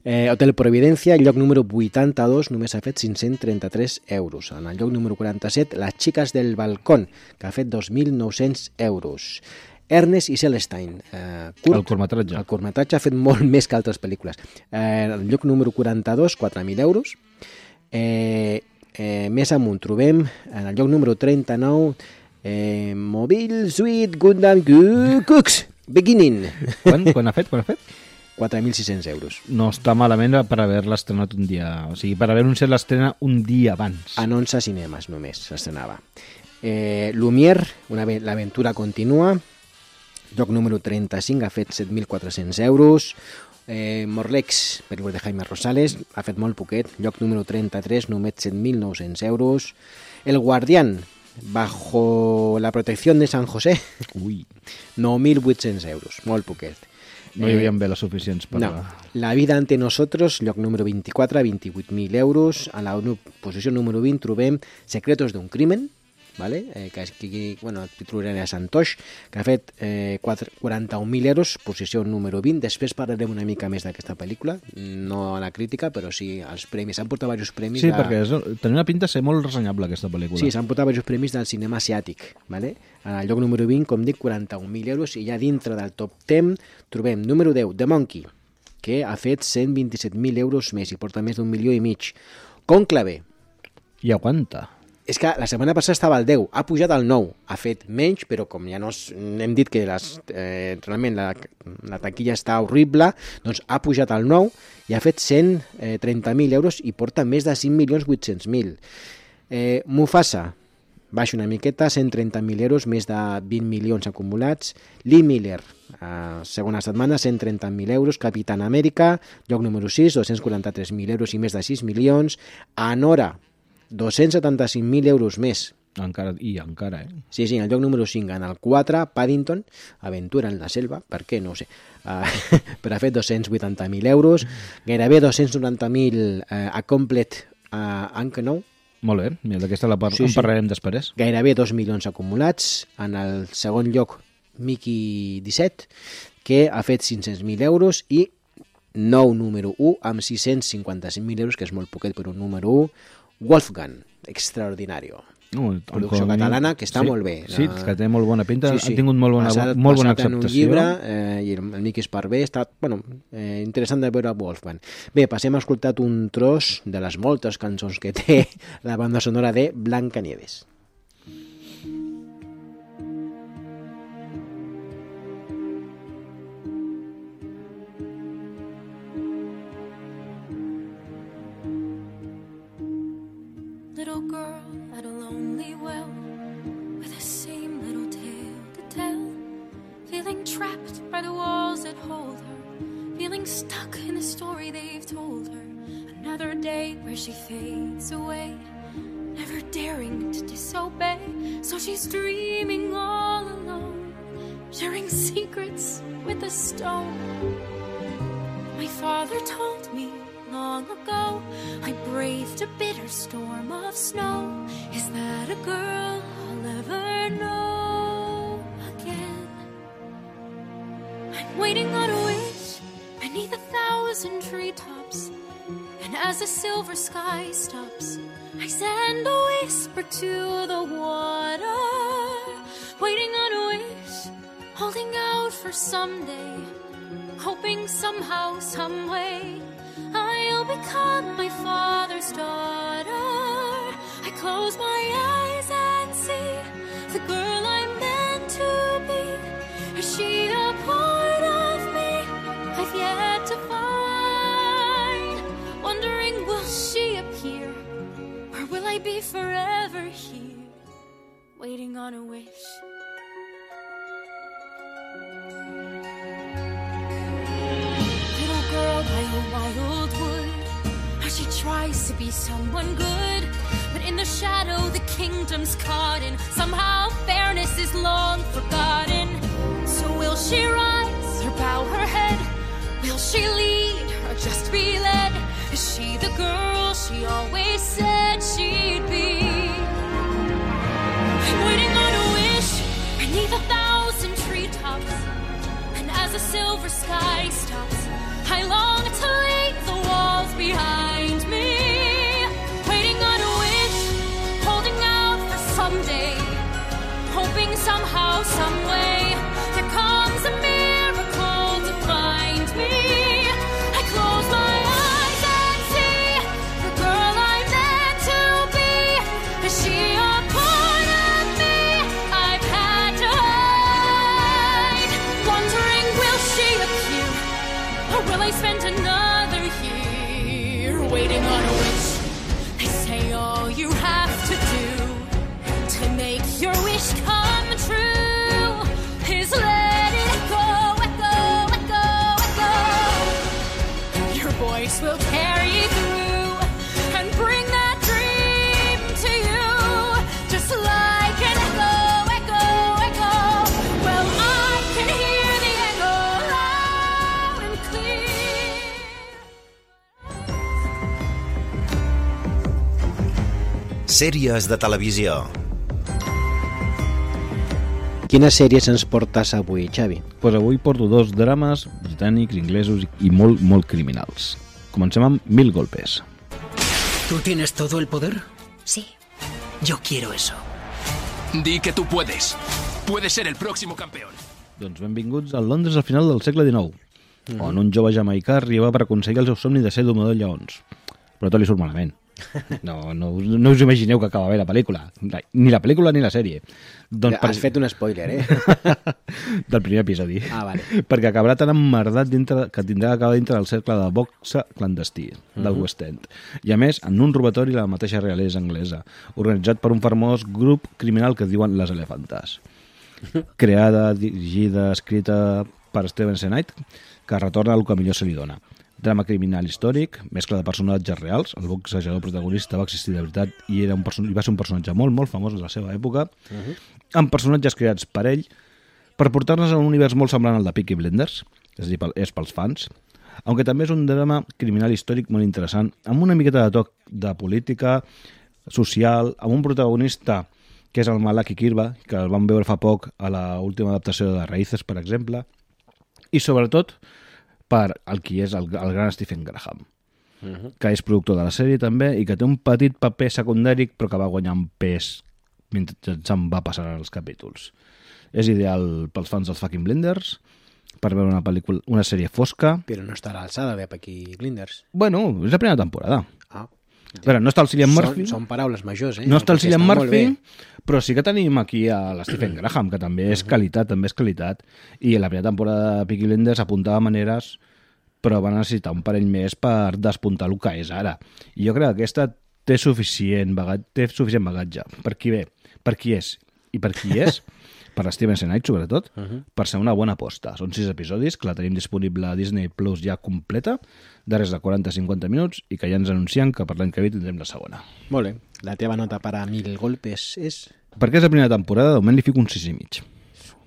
Hotel Providencia, lloc número 82, només ha fet 533 euros. En el lloc número 47, Las Chicas del Balcón, que ha fet 2.900 euros. Ernest i Celestine. El curtmetratge. El curtmetratge ha fet molt més que altres pel·lícules. El lloc número 42, 4.000 euros. Més amunt trobem en el lloc número 39 Mobile Suite Gundam Cooks Beginning. Quan ha fet? 4.600 euros. No està malament per haver-la estrenat un dia, o sigui, per haver anunciat l'estrena un dia abans. En 11 cinemes només s'estrenava. Lumière, l'aventura continua, lloc número 35, ha fet 7.400 euros. Morlex, pel·lícula de Jaime Rosales, ha fet molt poquet, lloc número 33, només 7.900 euros. El Guardián, bajo la protección de San José, 9.800 euros, molt poquet. No hi havien bé les suficients per... No. La vida ante nosotros, lloc número 24, 28.000 euros. A la posició número 20 trobem Secretos d'un crimen, ¿vale? Que aquí, bueno, el títol era Santosh, que ha fet 41.000 euros, posició número 20. Després parlarem una mica més d'aquesta pel·lícula, no a la crítica, però sí als premis. S'han portat diversos premis. Sí, perquè tenia una pinta de ser molt ressenyable aquesta pel·lícula. Sí, s'han portat diversos premis del cinema asiàtic, ¿vale? En el lloc número 20, com dic, 41.000 euros, i ja dintre del top 10 trobem número 10, The Monkey, que ha fet 127.000 euros més i porta més d'1,5 milions. Cònclave. I aguanta. És que la setmana passada estava al 10, ha pujat al 9, ha fet menys, però com ja hem dit que realment la taquilla està horrible, doncs ha pujat al 9 i ha fet 130.000 euros i porta més de 5.800.000. Mufasa, baixa una miqueta, 130.000 euros, més de 20 milions acumulats. Lee Miller, segona setmana, 130.000 euros. Capitán Amèrica, lloc número 6, 243.000 euros i més de 6 milions. Anora, 275.000 euros més. Encara, Sí, en el lloc número 5. En el 4, Paddington, Aventura en la selva, per què? No ho sé. Però ha fet 280.000 euros. Gairebé 290.000 a Complete Unknown. Molt bé, d'aquesta en parlarem després. Gairebé 2 milions acumulats. En el segon lloc, Mickey 17, que ha fet 500.000 euros, i nou número 1 amb 655.000 euros, que és molt poquet per un número 1, Wolfgang, Extraordinario. Producció catalana, que està molt bé. Sí, que té molt bona pinta, ha tingut molt bona acceptació. En un llibre, i el Miqui Esparvé, està interessant de veure Wolfgang. Bé, passem a escoltar un tros de les moltes cançons que té la banda sonora de Blancanieves. Little girl at a lonely well, with the same little tale to tell, feeling trapped by the walls that hold her, feeling stuck in the story they've told her. Another day where she fades away, never daring to disobey, so she's dreaming all alone, sharing secrets with a stone. My father told me long ago, I braved a bitter storm of snow. Is that a girl I'll ever know again? I'm waiting on a wish beneath 1,000 treetops, and as the silver sky stops, I send a whisper to the water. Waiting on a wish, holding out for someday, hoping somehow, some way I'll become my father's daughter. I close my eyes and see the girl I'm meant to be. Is she a part of me I've yet to find? Wondering, will she appear, or will I be forever here, waiting on a wish? Little girl by a wild wood, as she tries to be someone good, but in the shadow the kingdom's caught in. Somehow fairness is long forgotten. So will she rise or bow her head? Will she lead or just be led? Is she the girl she always said she'd be? I'm waiting on a wish beneath 1,000 treetops, and as the silver sky stops, I long to leave the walls behind me. Waiting on a wish, holding out for someday, hoping somehow, some way, there comes a miracle to find me. I close my eyes and see the girl I'm meant to be. Is she a part of me I've had to hide? Wondering, will she appear, or will I spend another year waiting on a wish? They say all you have to do to make your wish come true is let it echo, echo, echo, echo. Your voice will carry you through and bring that dream to you, just like an echo, echo, echo. Well, I can hear the echo loud and clear. Sèries de televisió. Quines sèries ens portes avui, Xavi? Pues avui porto dos drames britànics, inglesos i molt, molt criminals. Comencem amb 1000 golpes. ¿Tú tienes todo el poder? Sí. Yo quiero eso. Di que tú puedes. Puedes ser el próximo campeón. Doncs benvinguts a Londres al final del segle XIX, on un jove jamaicà arriba per aconseguir el seu somni de ser domador de lleons. Però tot li surt malament. No us imagineu que acaba bé la pel·lícula. Ni la pel·lícula ni la sèrie. Doncs Has fet un spoiler, del primer episodi. Vale. Perquè acabarà tan emmerdat que tindrà que acabar dintre del cercle de boxa clandestí del West End. I a més, en un robatori la mateixa realesa anglesa, organitzat per un famós grup criminal que es diuen Les Elefantes. Creada, dirigida, escrita per Steven Knight, que retorna al que millor se li dona. Drama criminal històric, mescla de personatges reals. El boxejador protagonista va existir de veritat i va ser un personatge molt, molt famós de la seva època, amb personatges creats per ell per portar-nos a un univers molt semblant al de Peaky Blinders, és a dir, és pels fans, aunque també és un drama criminal històric molt interessant, amb una miqueta de toc de política, social, amb un protagonista que és el Malaki Kirba, que el vam veure fa poc a l'última adaptació de Raíces, per exemple, i sobretot per el qui és el gran Stephen Graham, que és productor de la sèrie també i que té un petit paper secundari però que va guanyar un pes mentre se'n va passar els capítols. És ideal pels fans dels fucking Blinders, per veure una sèrie fosca. Però no està a l'alçada de Peaky Blinders. Bueno, és la primera temporada. Però no està el Cillian Murphy. Són paraules majors, No està el Cillian Murphy, però sí que tenim aquí a l'Stephen Graham, que també és qualitat, I la primera temporada de Peaky Blinders apuntava maneres, però va necessitar un parell més per despuntar el que és ara. I jo crec que aquesta té suficient bagatge. Per qui ve? Per qui és? I per qui és? Per Steven Knight, sobretot, per ser una bona aposta. Són 6 episodis, que la tenim disponible a Disney Plus ja completa, de res de 40-50 minuts, i que ja ens anuncien que per l'any que ve tindrem la segona. Molt bé. La teva nota per a 1000 golpes és? Perquè és la primera temporada, d'augment li fico un 6,5.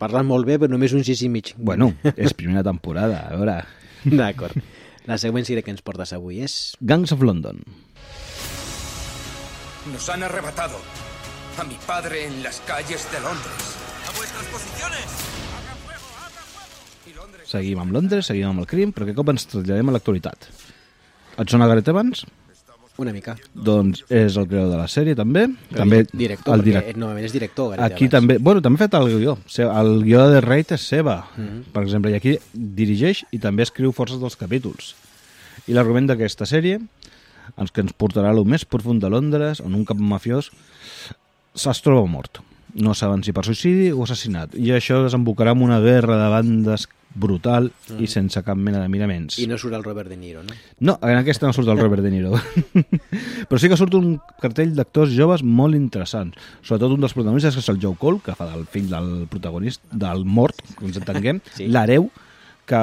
Parles molt bé, però només un 6,5. Bueno, és primera temporada, a veure... D'acord. La següent sèrie que ens portes avui és... Gangs of London. Nos han arrebatado a mi padre en las calles de Londres. ¡A vuestras posiciones! ¡Haga fuego, haga fuego! Seguim amb Londres, seguim amb el crim, però aquest cop ens traslladem a l'actualitat. Et sona Gareth Evans? Una mica. Doncs és el creador de la sèrie, també. Però també director, perquè normalment és director, Gareth aquí Evans. també, bueno, també ha fet el guió. El guió de The Raid és seva, per exemple, i aquí dirigeix i també escriu forces dels capítols. I l'argument d'aquesta sèrie, que ens portarà a lo més profund de Londres, on un cap mafiós es troba mort. No saben si per suïcidi o assassinat. I això desembocarà en una guerra de bandes brutal i sense cap mena de miraments. I no surt el Robert De Niro, no? No, en aquesta no surt el Robert De Niro. Però sí que surt un cartell d'actors joves molt interessants. Sobretot un dels protagonistes, que és el Joe Cole, que fa del fill del protagonista, del mort, que ens entenguem, sí. L'hereu, que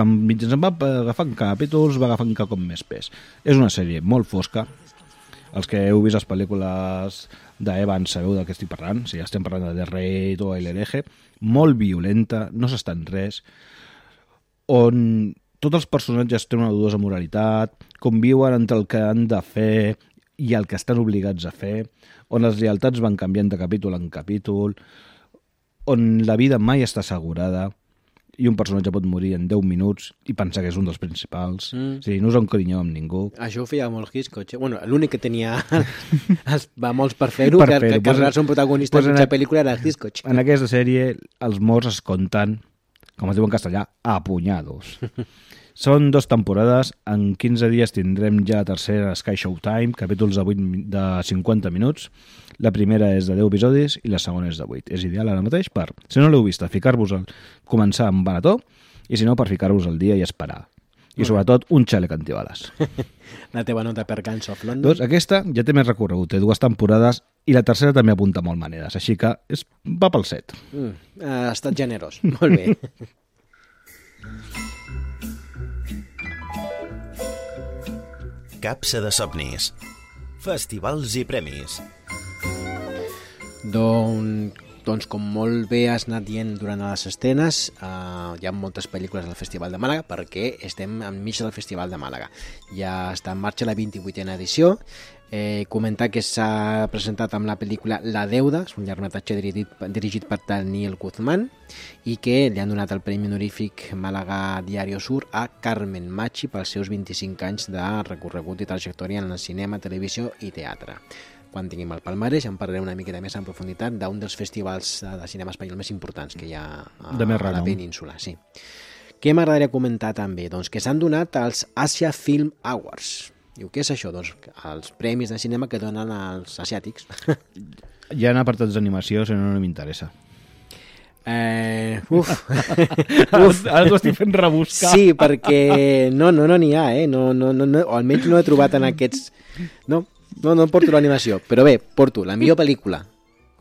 mitjançant va agafant capítols, va agafant cap com més pes. És una sèrie molt fosca. Els que heu vist les pel·lícules d'Evans sabeu de què estic parlant. Si ja estem parlant de The Raid o El Hereje. Molt violenta, no s'està en res, on tots els personatges tenen una dudosa moralitat, conviuen entre el que han de fer i el que estan obligats a fer, on les lealtats van canviant de capítol en capítol, on la vida mai està assegurada i un personatge pot morir en 10 minuts i pensar que és un dels principals. O sigui, no us encarinyeu amb ningú. Això ho feia molt Hitchcock. Bueno, l'únic que tenia va molts per fer-ho, que carregar-se un protagonista de mitja pel·lícula era Hitchcock. En aquesta sèrie els morts es compten, com es diu en castellà, a punyados. Són 2 temporades, en 15 dies tindrem ja la tercera Sky Showtime, capítols de 50 minuts. La primera és de 10 episodis i la segona és de 8. És ideal ara mateix per, si no l'heu vist, començar amb marató, i si no, per ficar-vos al dia i esperar. I sobretot un xalec antibales. La teva nota per Gangs of London? Doncs aquesta ja té més recorregut, té 2 temporades i la tercera també apunta molt maneres, així que va pel 7. Ha estat generós, molt bé. Capsa de somnis. Festivals i premis. Doncs com molt bé has anat dient durant les escenes, hi ha moltes pel·lícules al Festival de Màlaga perquè estem enmig del Festival de Màlaga. Ja està en marxa la 28a edició. Comentar que s'ha presentat amb la pel·lícula La Deuda, és un llargmetratge dirigit per Daniel Guzmán, i que li han donat el Premi Honorífic Màlaga Diario Sur a Carmen Machi pels seus 25 anys de recorregut i trajectòria en el cinema, televisió i teatre. Quan tinguem el palmarès ja en parlarem una miqueta més en profunditat d'un dels festivals de cinema espanyol més importants que hi ha a la península. Sí. Què m'agradaria comentar també? Doncs que s'han donat els Asia Film Awards. Diu, què és això? Doncs els premis de cinema que donen als asiàtics. Hi ha apartats d'animació, si no m'interessa. Uf. Ara t'ho estic fent rebuscar. Sí, perquè no n'hi ha, no, o almenys no he trobat en aquests... No porto l'animació, però bé, porto la millor pel·lícula.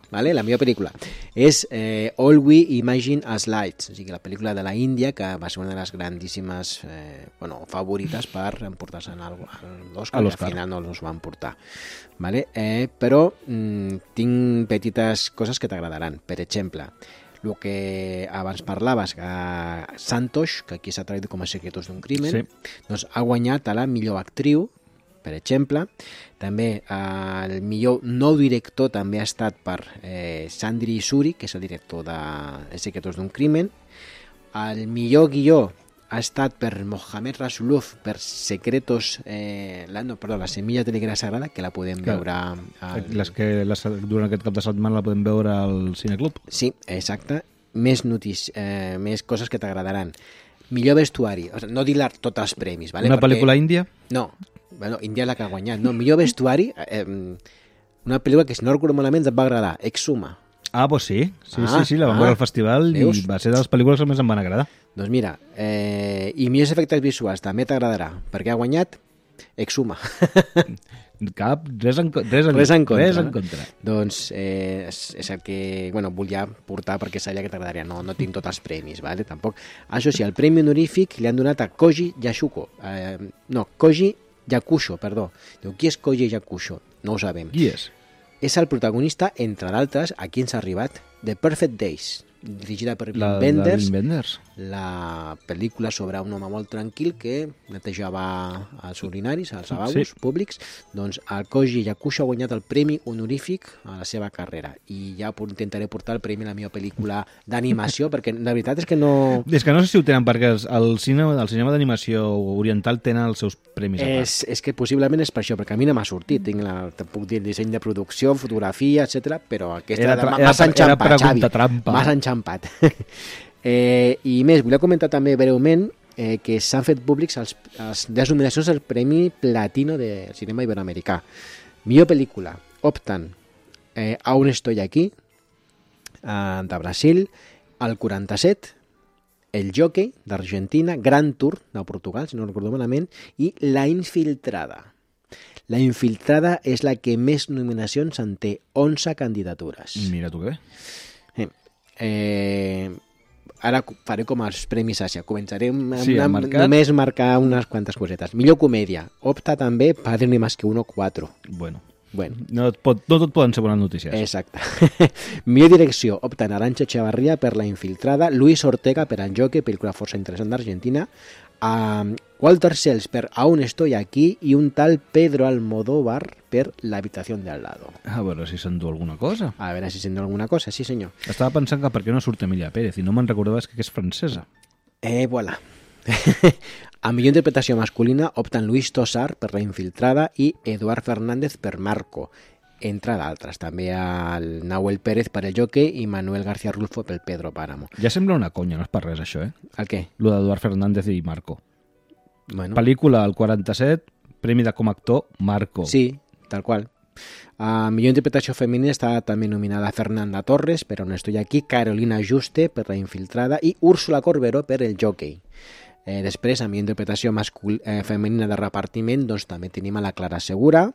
Vale? La millor pel·lícula és All We Imagine As Lights, o sigui, la pel·lícula de la Índia, que va ser una de les grandíssimes favorites per emportar-se a l'Oscar, i al final no els van portar. Vale? Però tinc petites coses que t'agradaran. Per exemple, el que abans parlaves, Santosh, que aquí s'ha traduït com a Secretos d'un crimen, sí. Doncs ha guanyat a la millor actriu, per exemple. També el millor nou director també ha estat per Sandri Suri, que és el director de Secretos d'un crimen. El millor guió ha estat per Mohamed Rasulov per Secretos, la Semilla de Negra Sagrada, que la podem veure... Durant aquest cap de setmana la podem veure al Cineclub. Sí, exacte. Més coses que t'agradaran. Millor vestuari, o sigui, no dir tots els premis. Vale? Una pel·lícula índia? No, Índia és la que ha guanyat. No, millor vestuari, una pel·lícula que, si no recordo malament, et va agradar, Exuma. Ah, doncs sí, la vam veure al festival. Veus? I va ser de les pel·lícules que més em van agradar. Doncs mira, i millors efectes visuals també t'agradarà, perquè ha guanyat Exuma. Res en contra. Doncs és el que volia portar, perquè sabia que t'agradaria. No tinc tots els premis, vale? Tampoc. Això sí, el premi honorífic li han donat a Koji Yakusho, perdó. Diu, qui és Koji Yakusho? No ho sabem. Qui és? És el protagonista, entre d'altres, a qui ens ha arribat, de Perfect Days, dirigida per Wim Wenders, la pel·lícula sobre un home molt tranquil que netejava els urinaris, els lavabos públics. Doncs el Koji Yakusho ha guanyat el premi honorífic a la seva carrera, i ja intentaré portar el premi a la meva pel·lícula d'animació, perquè la veritat és que no... És que no sé si ho tenen, perquè el cinema d'animació oriental tenen els seus premis a part. És que possiblement és per això, perquè a mi no m'ha sortit. Te puc dir disseny de producció, fotografia, etc. Però aquesta m'has enxampat, Xavi. M'has enxampat. I més, volia comentar també breument que s'han fet públics les nominacions al Premi Platino del cinema iberoamericà. Millor pel·lícula, opten Aún estoy aquí, de Brasil, el 47, El Jockey, d'Argentina, Grand Tour, de Portugal, si no recordo malament, i La Infiltrada. La Infiltrada és la que més nominacions en té, 11 candidatures. Mira tu què bé. Ara faré com els Premis Àsia. Començarem només marcar unes quantes cosetes. Millor comèdia. Opta també Padre ni más que uno 4. Bueno. No tot poden ser bones notícies. Exacte. Millor direcció. Opta Arantxa Echevarría per La Infiltrada, Luis Ortega per El Jockey, pel·lícula força interessant d'Argentina, Walter Sells per Aún estoy aquí i un tal Pedro Almodóvar per La habitación de al lado. A veure si s'endú alguna cosa. Sí senyor. Estava pensant que per què no surt Emilia Pérez i no me'n recordava que és francesa. Voilà. A millor interpretació masculina opten Luis Tosar per La Infiltrada i Eduard Fernández per Marco, entre d'altres. També el Nahuel Pérez per El Jockey i Manuel García Rulfo pel Pedro Páramo. Ja sembla una conya, no és per res això, El què? Lo d'Eduard Fernández i Marco. Pel·lícula al 47, premi de com a actor, Marco. Sí, tal qual. A millor interpretació femenina està també nominada Fernanda Torres per On estoy aquí, Carolina Juste per La Infiltrada i Úrsula Corberó per El Jockey. Després, a millor interpretació femenina de repartiment, doncs també tenim a la Clara Segura.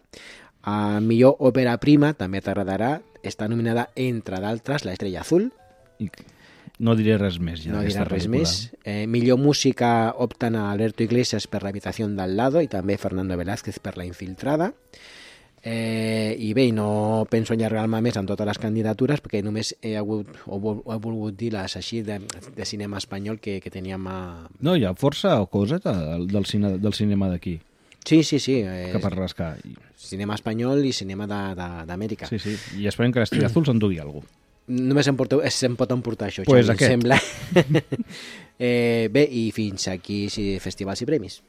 A millor òpera prima, també t'agradarà, està nominada, entre d'altres, La Estrella Azul. No diré res més. No diré res més. Millor música opten a Alberto Iglesias per La habitación de al lado i també Fernando Velázquez per La Infiltrada. I bé, no penso allargar-me més en totes les candidatures perquè només he volgut dir les així de cinema espanyol que teníem a... No, hi ha força coseta del cinema d'aquí. Sí. Que per rascar. Cinema espanyol i cinema d'Amèrica. Sí, i esperem que l'Estrella Azul s'endugui alguna cosa. Només se'n pot emportar això, pues Xavi, em sembla. Bé, i fins aquí festivals i premis.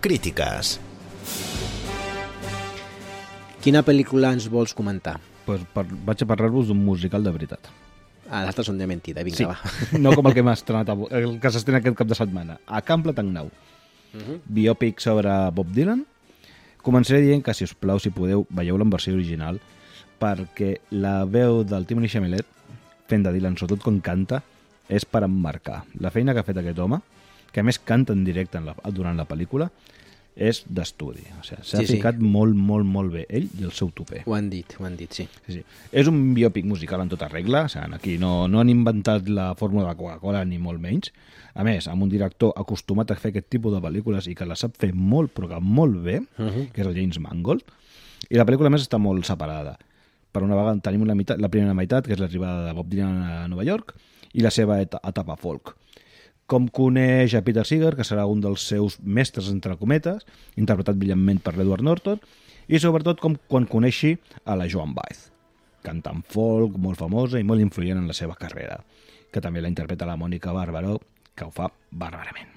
Crítiques. Quina pel·lícula ens vols comentar? Vaig a parlar-vos d'un musical de veritat. Els altres són de mentida, vinga, Sí, va. no com el que m'ha estrenat, el que s'estrena aquest cap de setmana. A Camp Tanc Nou. Biòpic sobre Bob Dylan. Començaré dient que, si us plau, si podeu, veieu-la en versió original, perquè la veu del Timothée Chalamet fent de Dylan, sobretot quan canta, és per emmarcar. La feina que ha fet aquest home, que a més canta en directe durant la pel·lícula, és d'estudi. O sigui, s'ha ficat molt, molt, molt bé ell i el seu tupé. Ho han dit, sí. Sí. És un biòpic musical en tota regla, o sigui, aquí no han inventat la fórmula de Coca-Cola ni molt menys. A més, amb un director acostumat a fer aquest tipus de pel·lícules i que la sap fer molt, però que molt bé, que és el James Mangold. I la pel·lícula, a més, està molt separada. Per una vegada tenim la primera meitat, que és l'arribada de Bob Dylan a Nova York, i la seva etapa folk. Com coneix a Peter Seeger, que serà un dels seus mestres, entre cometes, interpretat brillantment per l'Edward Norton, i sobretot quan coneixi a la Joan Baez, cantant folk, molt famosa i molt influent en la seva carrera, que també la interpreta la Mònica Bàrbaro, que ho fa bàrbarament.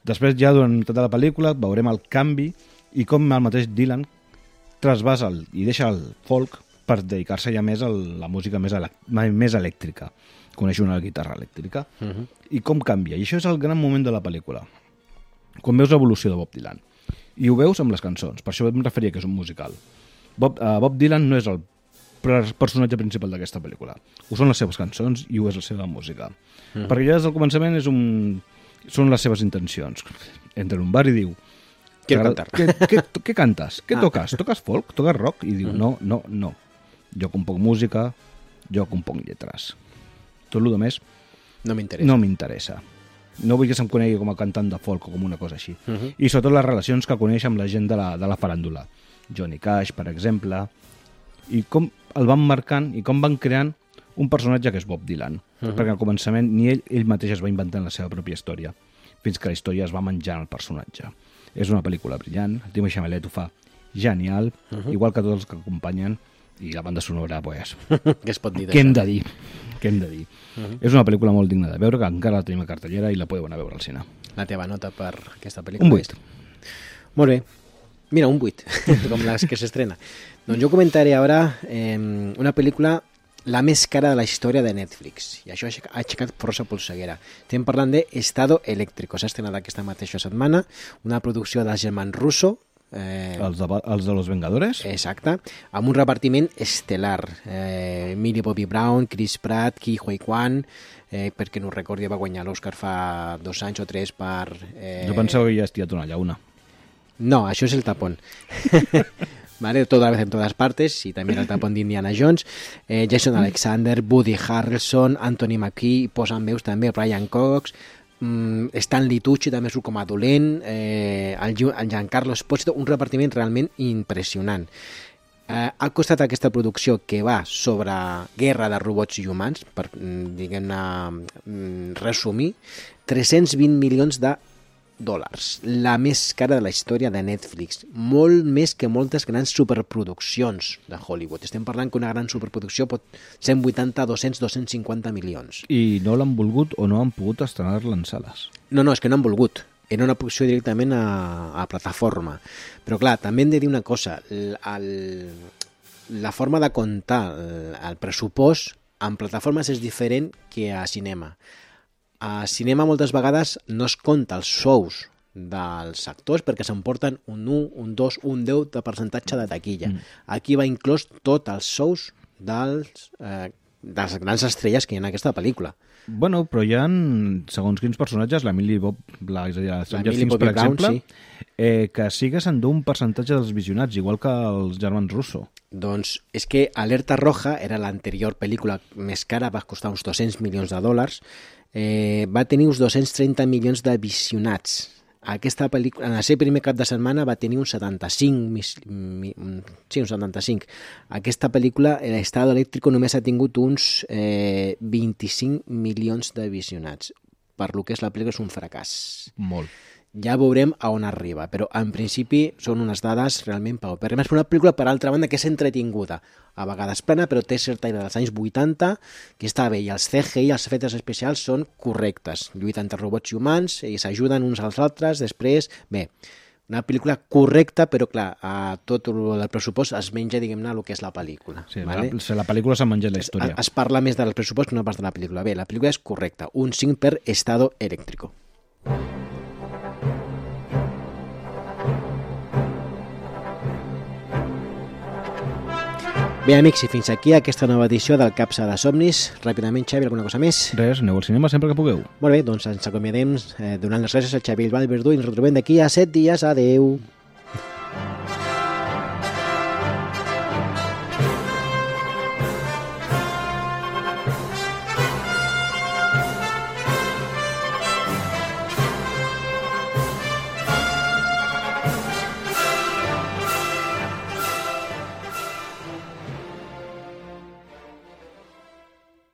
Després, ja durant tota la pel·lícula, veurem el canvi i com el mateix Dylan trasbasa i deixa el folk per dedicar-se ja més a la música més elèctrica. Coneix una guitarra elèctrica. I com canvia. I això és el gran moment de la pel·lícula. Quan veus l'evolució de Bob Dylan. I ho veus amb les cançons. Per això em referia que és un musical. Bob Dylan no és el personatge principal d'aquesta pel·lícula. Ho són les seves cançons i ho és la seva música. Perquè ja des del començament són les seves intencions. Entra en un bar i diu: Quiero cantar. Què cantes? Què toques? Toques folk? Toques rock? I diu: no. Jo componc música, jo componc lletres. Tot el més no m'interessa. No vull que se'm conegui com a cantant de folk o com una cosa així. I sobretot les relacions que coneix amb la gent de la faràndula. Johnny Cash, per exemple, i com el van marcant i com van creant un personatge que és Bob Dylan. Perquè al començament ni ell mateix es va inventar la seva pròpia història, fins que la història es va menjar el personatge. És una pel·lícula brillant, el Timothée Chalamet ho fa genial, igual que tots els que acompanyen, i la banda sonora, pues... Què es pot dir d'això? Què hem de dir? És una pel·lícula molt digna de veure, que encara la tenim a cartellera i la podeu anar a veure al cine. La teva nota per aquesta pel·lícula? Un 8. Molt bé. Mira, un 8, com les que s'estrena. Doncs jo comentaré ara una pel·lícula la més cara de la història de Netflix. I això ha aixecat força polseguera. Estem parlant de Estado Eléctrico. S'ha estrenat aquesta mateixa setmana, una producció dels germans Russo, els de Los Vengadores? Exacte, amb un repartiment estel·lar. Millie Bobby Brown, Chris Pratt, Ke Huy Quan, perquè no ho recordi, va guanyar l'Oscar fa 2 anys o 3 per... Jo pensava que ja has tirat una llauna. No, això és el tapón. Vale, toda vez en todas partes, y también el tapón d'Indiana Jones. Jason Alexander, Woody Harrelson, Anthony Mackie, posen veus també, Brian Cox, Stanley Tucci també surt com a dolent, el Giancarlo Esposito, un repartiment realment impressionant. Ha costat aquesta producció, que va sobre guerra de robots i humans, per diguem-ne resumir, 320 milions de dòlars, la més cara de la història de Netflix, molt més que moltes grans superproduccions de Hollywood. Estem parlant que una gran superproducció pot 180, 200, 250 milions. I no l'han volgut o no han pogut estrenar-la en sales? No, és que no han volgut. Era una producció directament a plataforma. Però clar, també hem de dir una cosa, la forma de comptar el pressupost en plataformes és diferent que a cinema. A cinema moltes vegades no es compta els sous dels actors perquè s'emporten un 1, un 2, un 10 de percentatge de taquilla. Aquí va inclòs tots els sous dels grans estrelles que hi ha en aquesta pel·lícula. Bueno, però hi ha, segons quins personatges, la Millie Bob, és a dir, Stranger Things, per exemple, que sí que s'endú un percentatge dels visionats, igual que els germans Russo. Doncs és que Alerta Roja era l'anterior pel·lícula més cara, va costar uns 200 milions de dòlars, va tenir uns 230 milions de visionats. Aquesta pel·lícula, en el seu primer cap de setmana, va tenir uns 75. Aquesta pel·lícula, l'Estado Eléctrico, només ha tingut uns 25 milions de visionats. Per lo que és la pel·lícula, és un fracàs. Molt. Ja veurem a on arriba, però en principi són unes dades realment paupèrrimes. Una pel·lícula, per altra banda, que és entretinguda, a vegades plana, però té certa idea dels anys 80, que està bé, i els CGI, els efectes especials, són correctes. Lluiten entre robots i humans, i s'ajuden uns als altres, després... Bé, Una pel·lícula correcta, però clar, tot el pressupost es menja, diguem-ne, el que és la pel·lícula. Sí, vale? la pel·lícula s'ha menjat la història. Es parla més del pressupost que no pas de la pel·lícula. Bé, la pel·lícula és correcta. Un 5 per Estado Eléctrico. Bé, amics, i fins aquí aquesta nova edició del Capsa de Somnis. Ràpidament, Xavi, alguna cosa més? Res, aneu al cinema sempre que pugueu. Molt bé, doncs ens acomiadem donant les gràcies al Xavi Vallverdú i ens retrobem d'aquí a 7 dies. Adeu.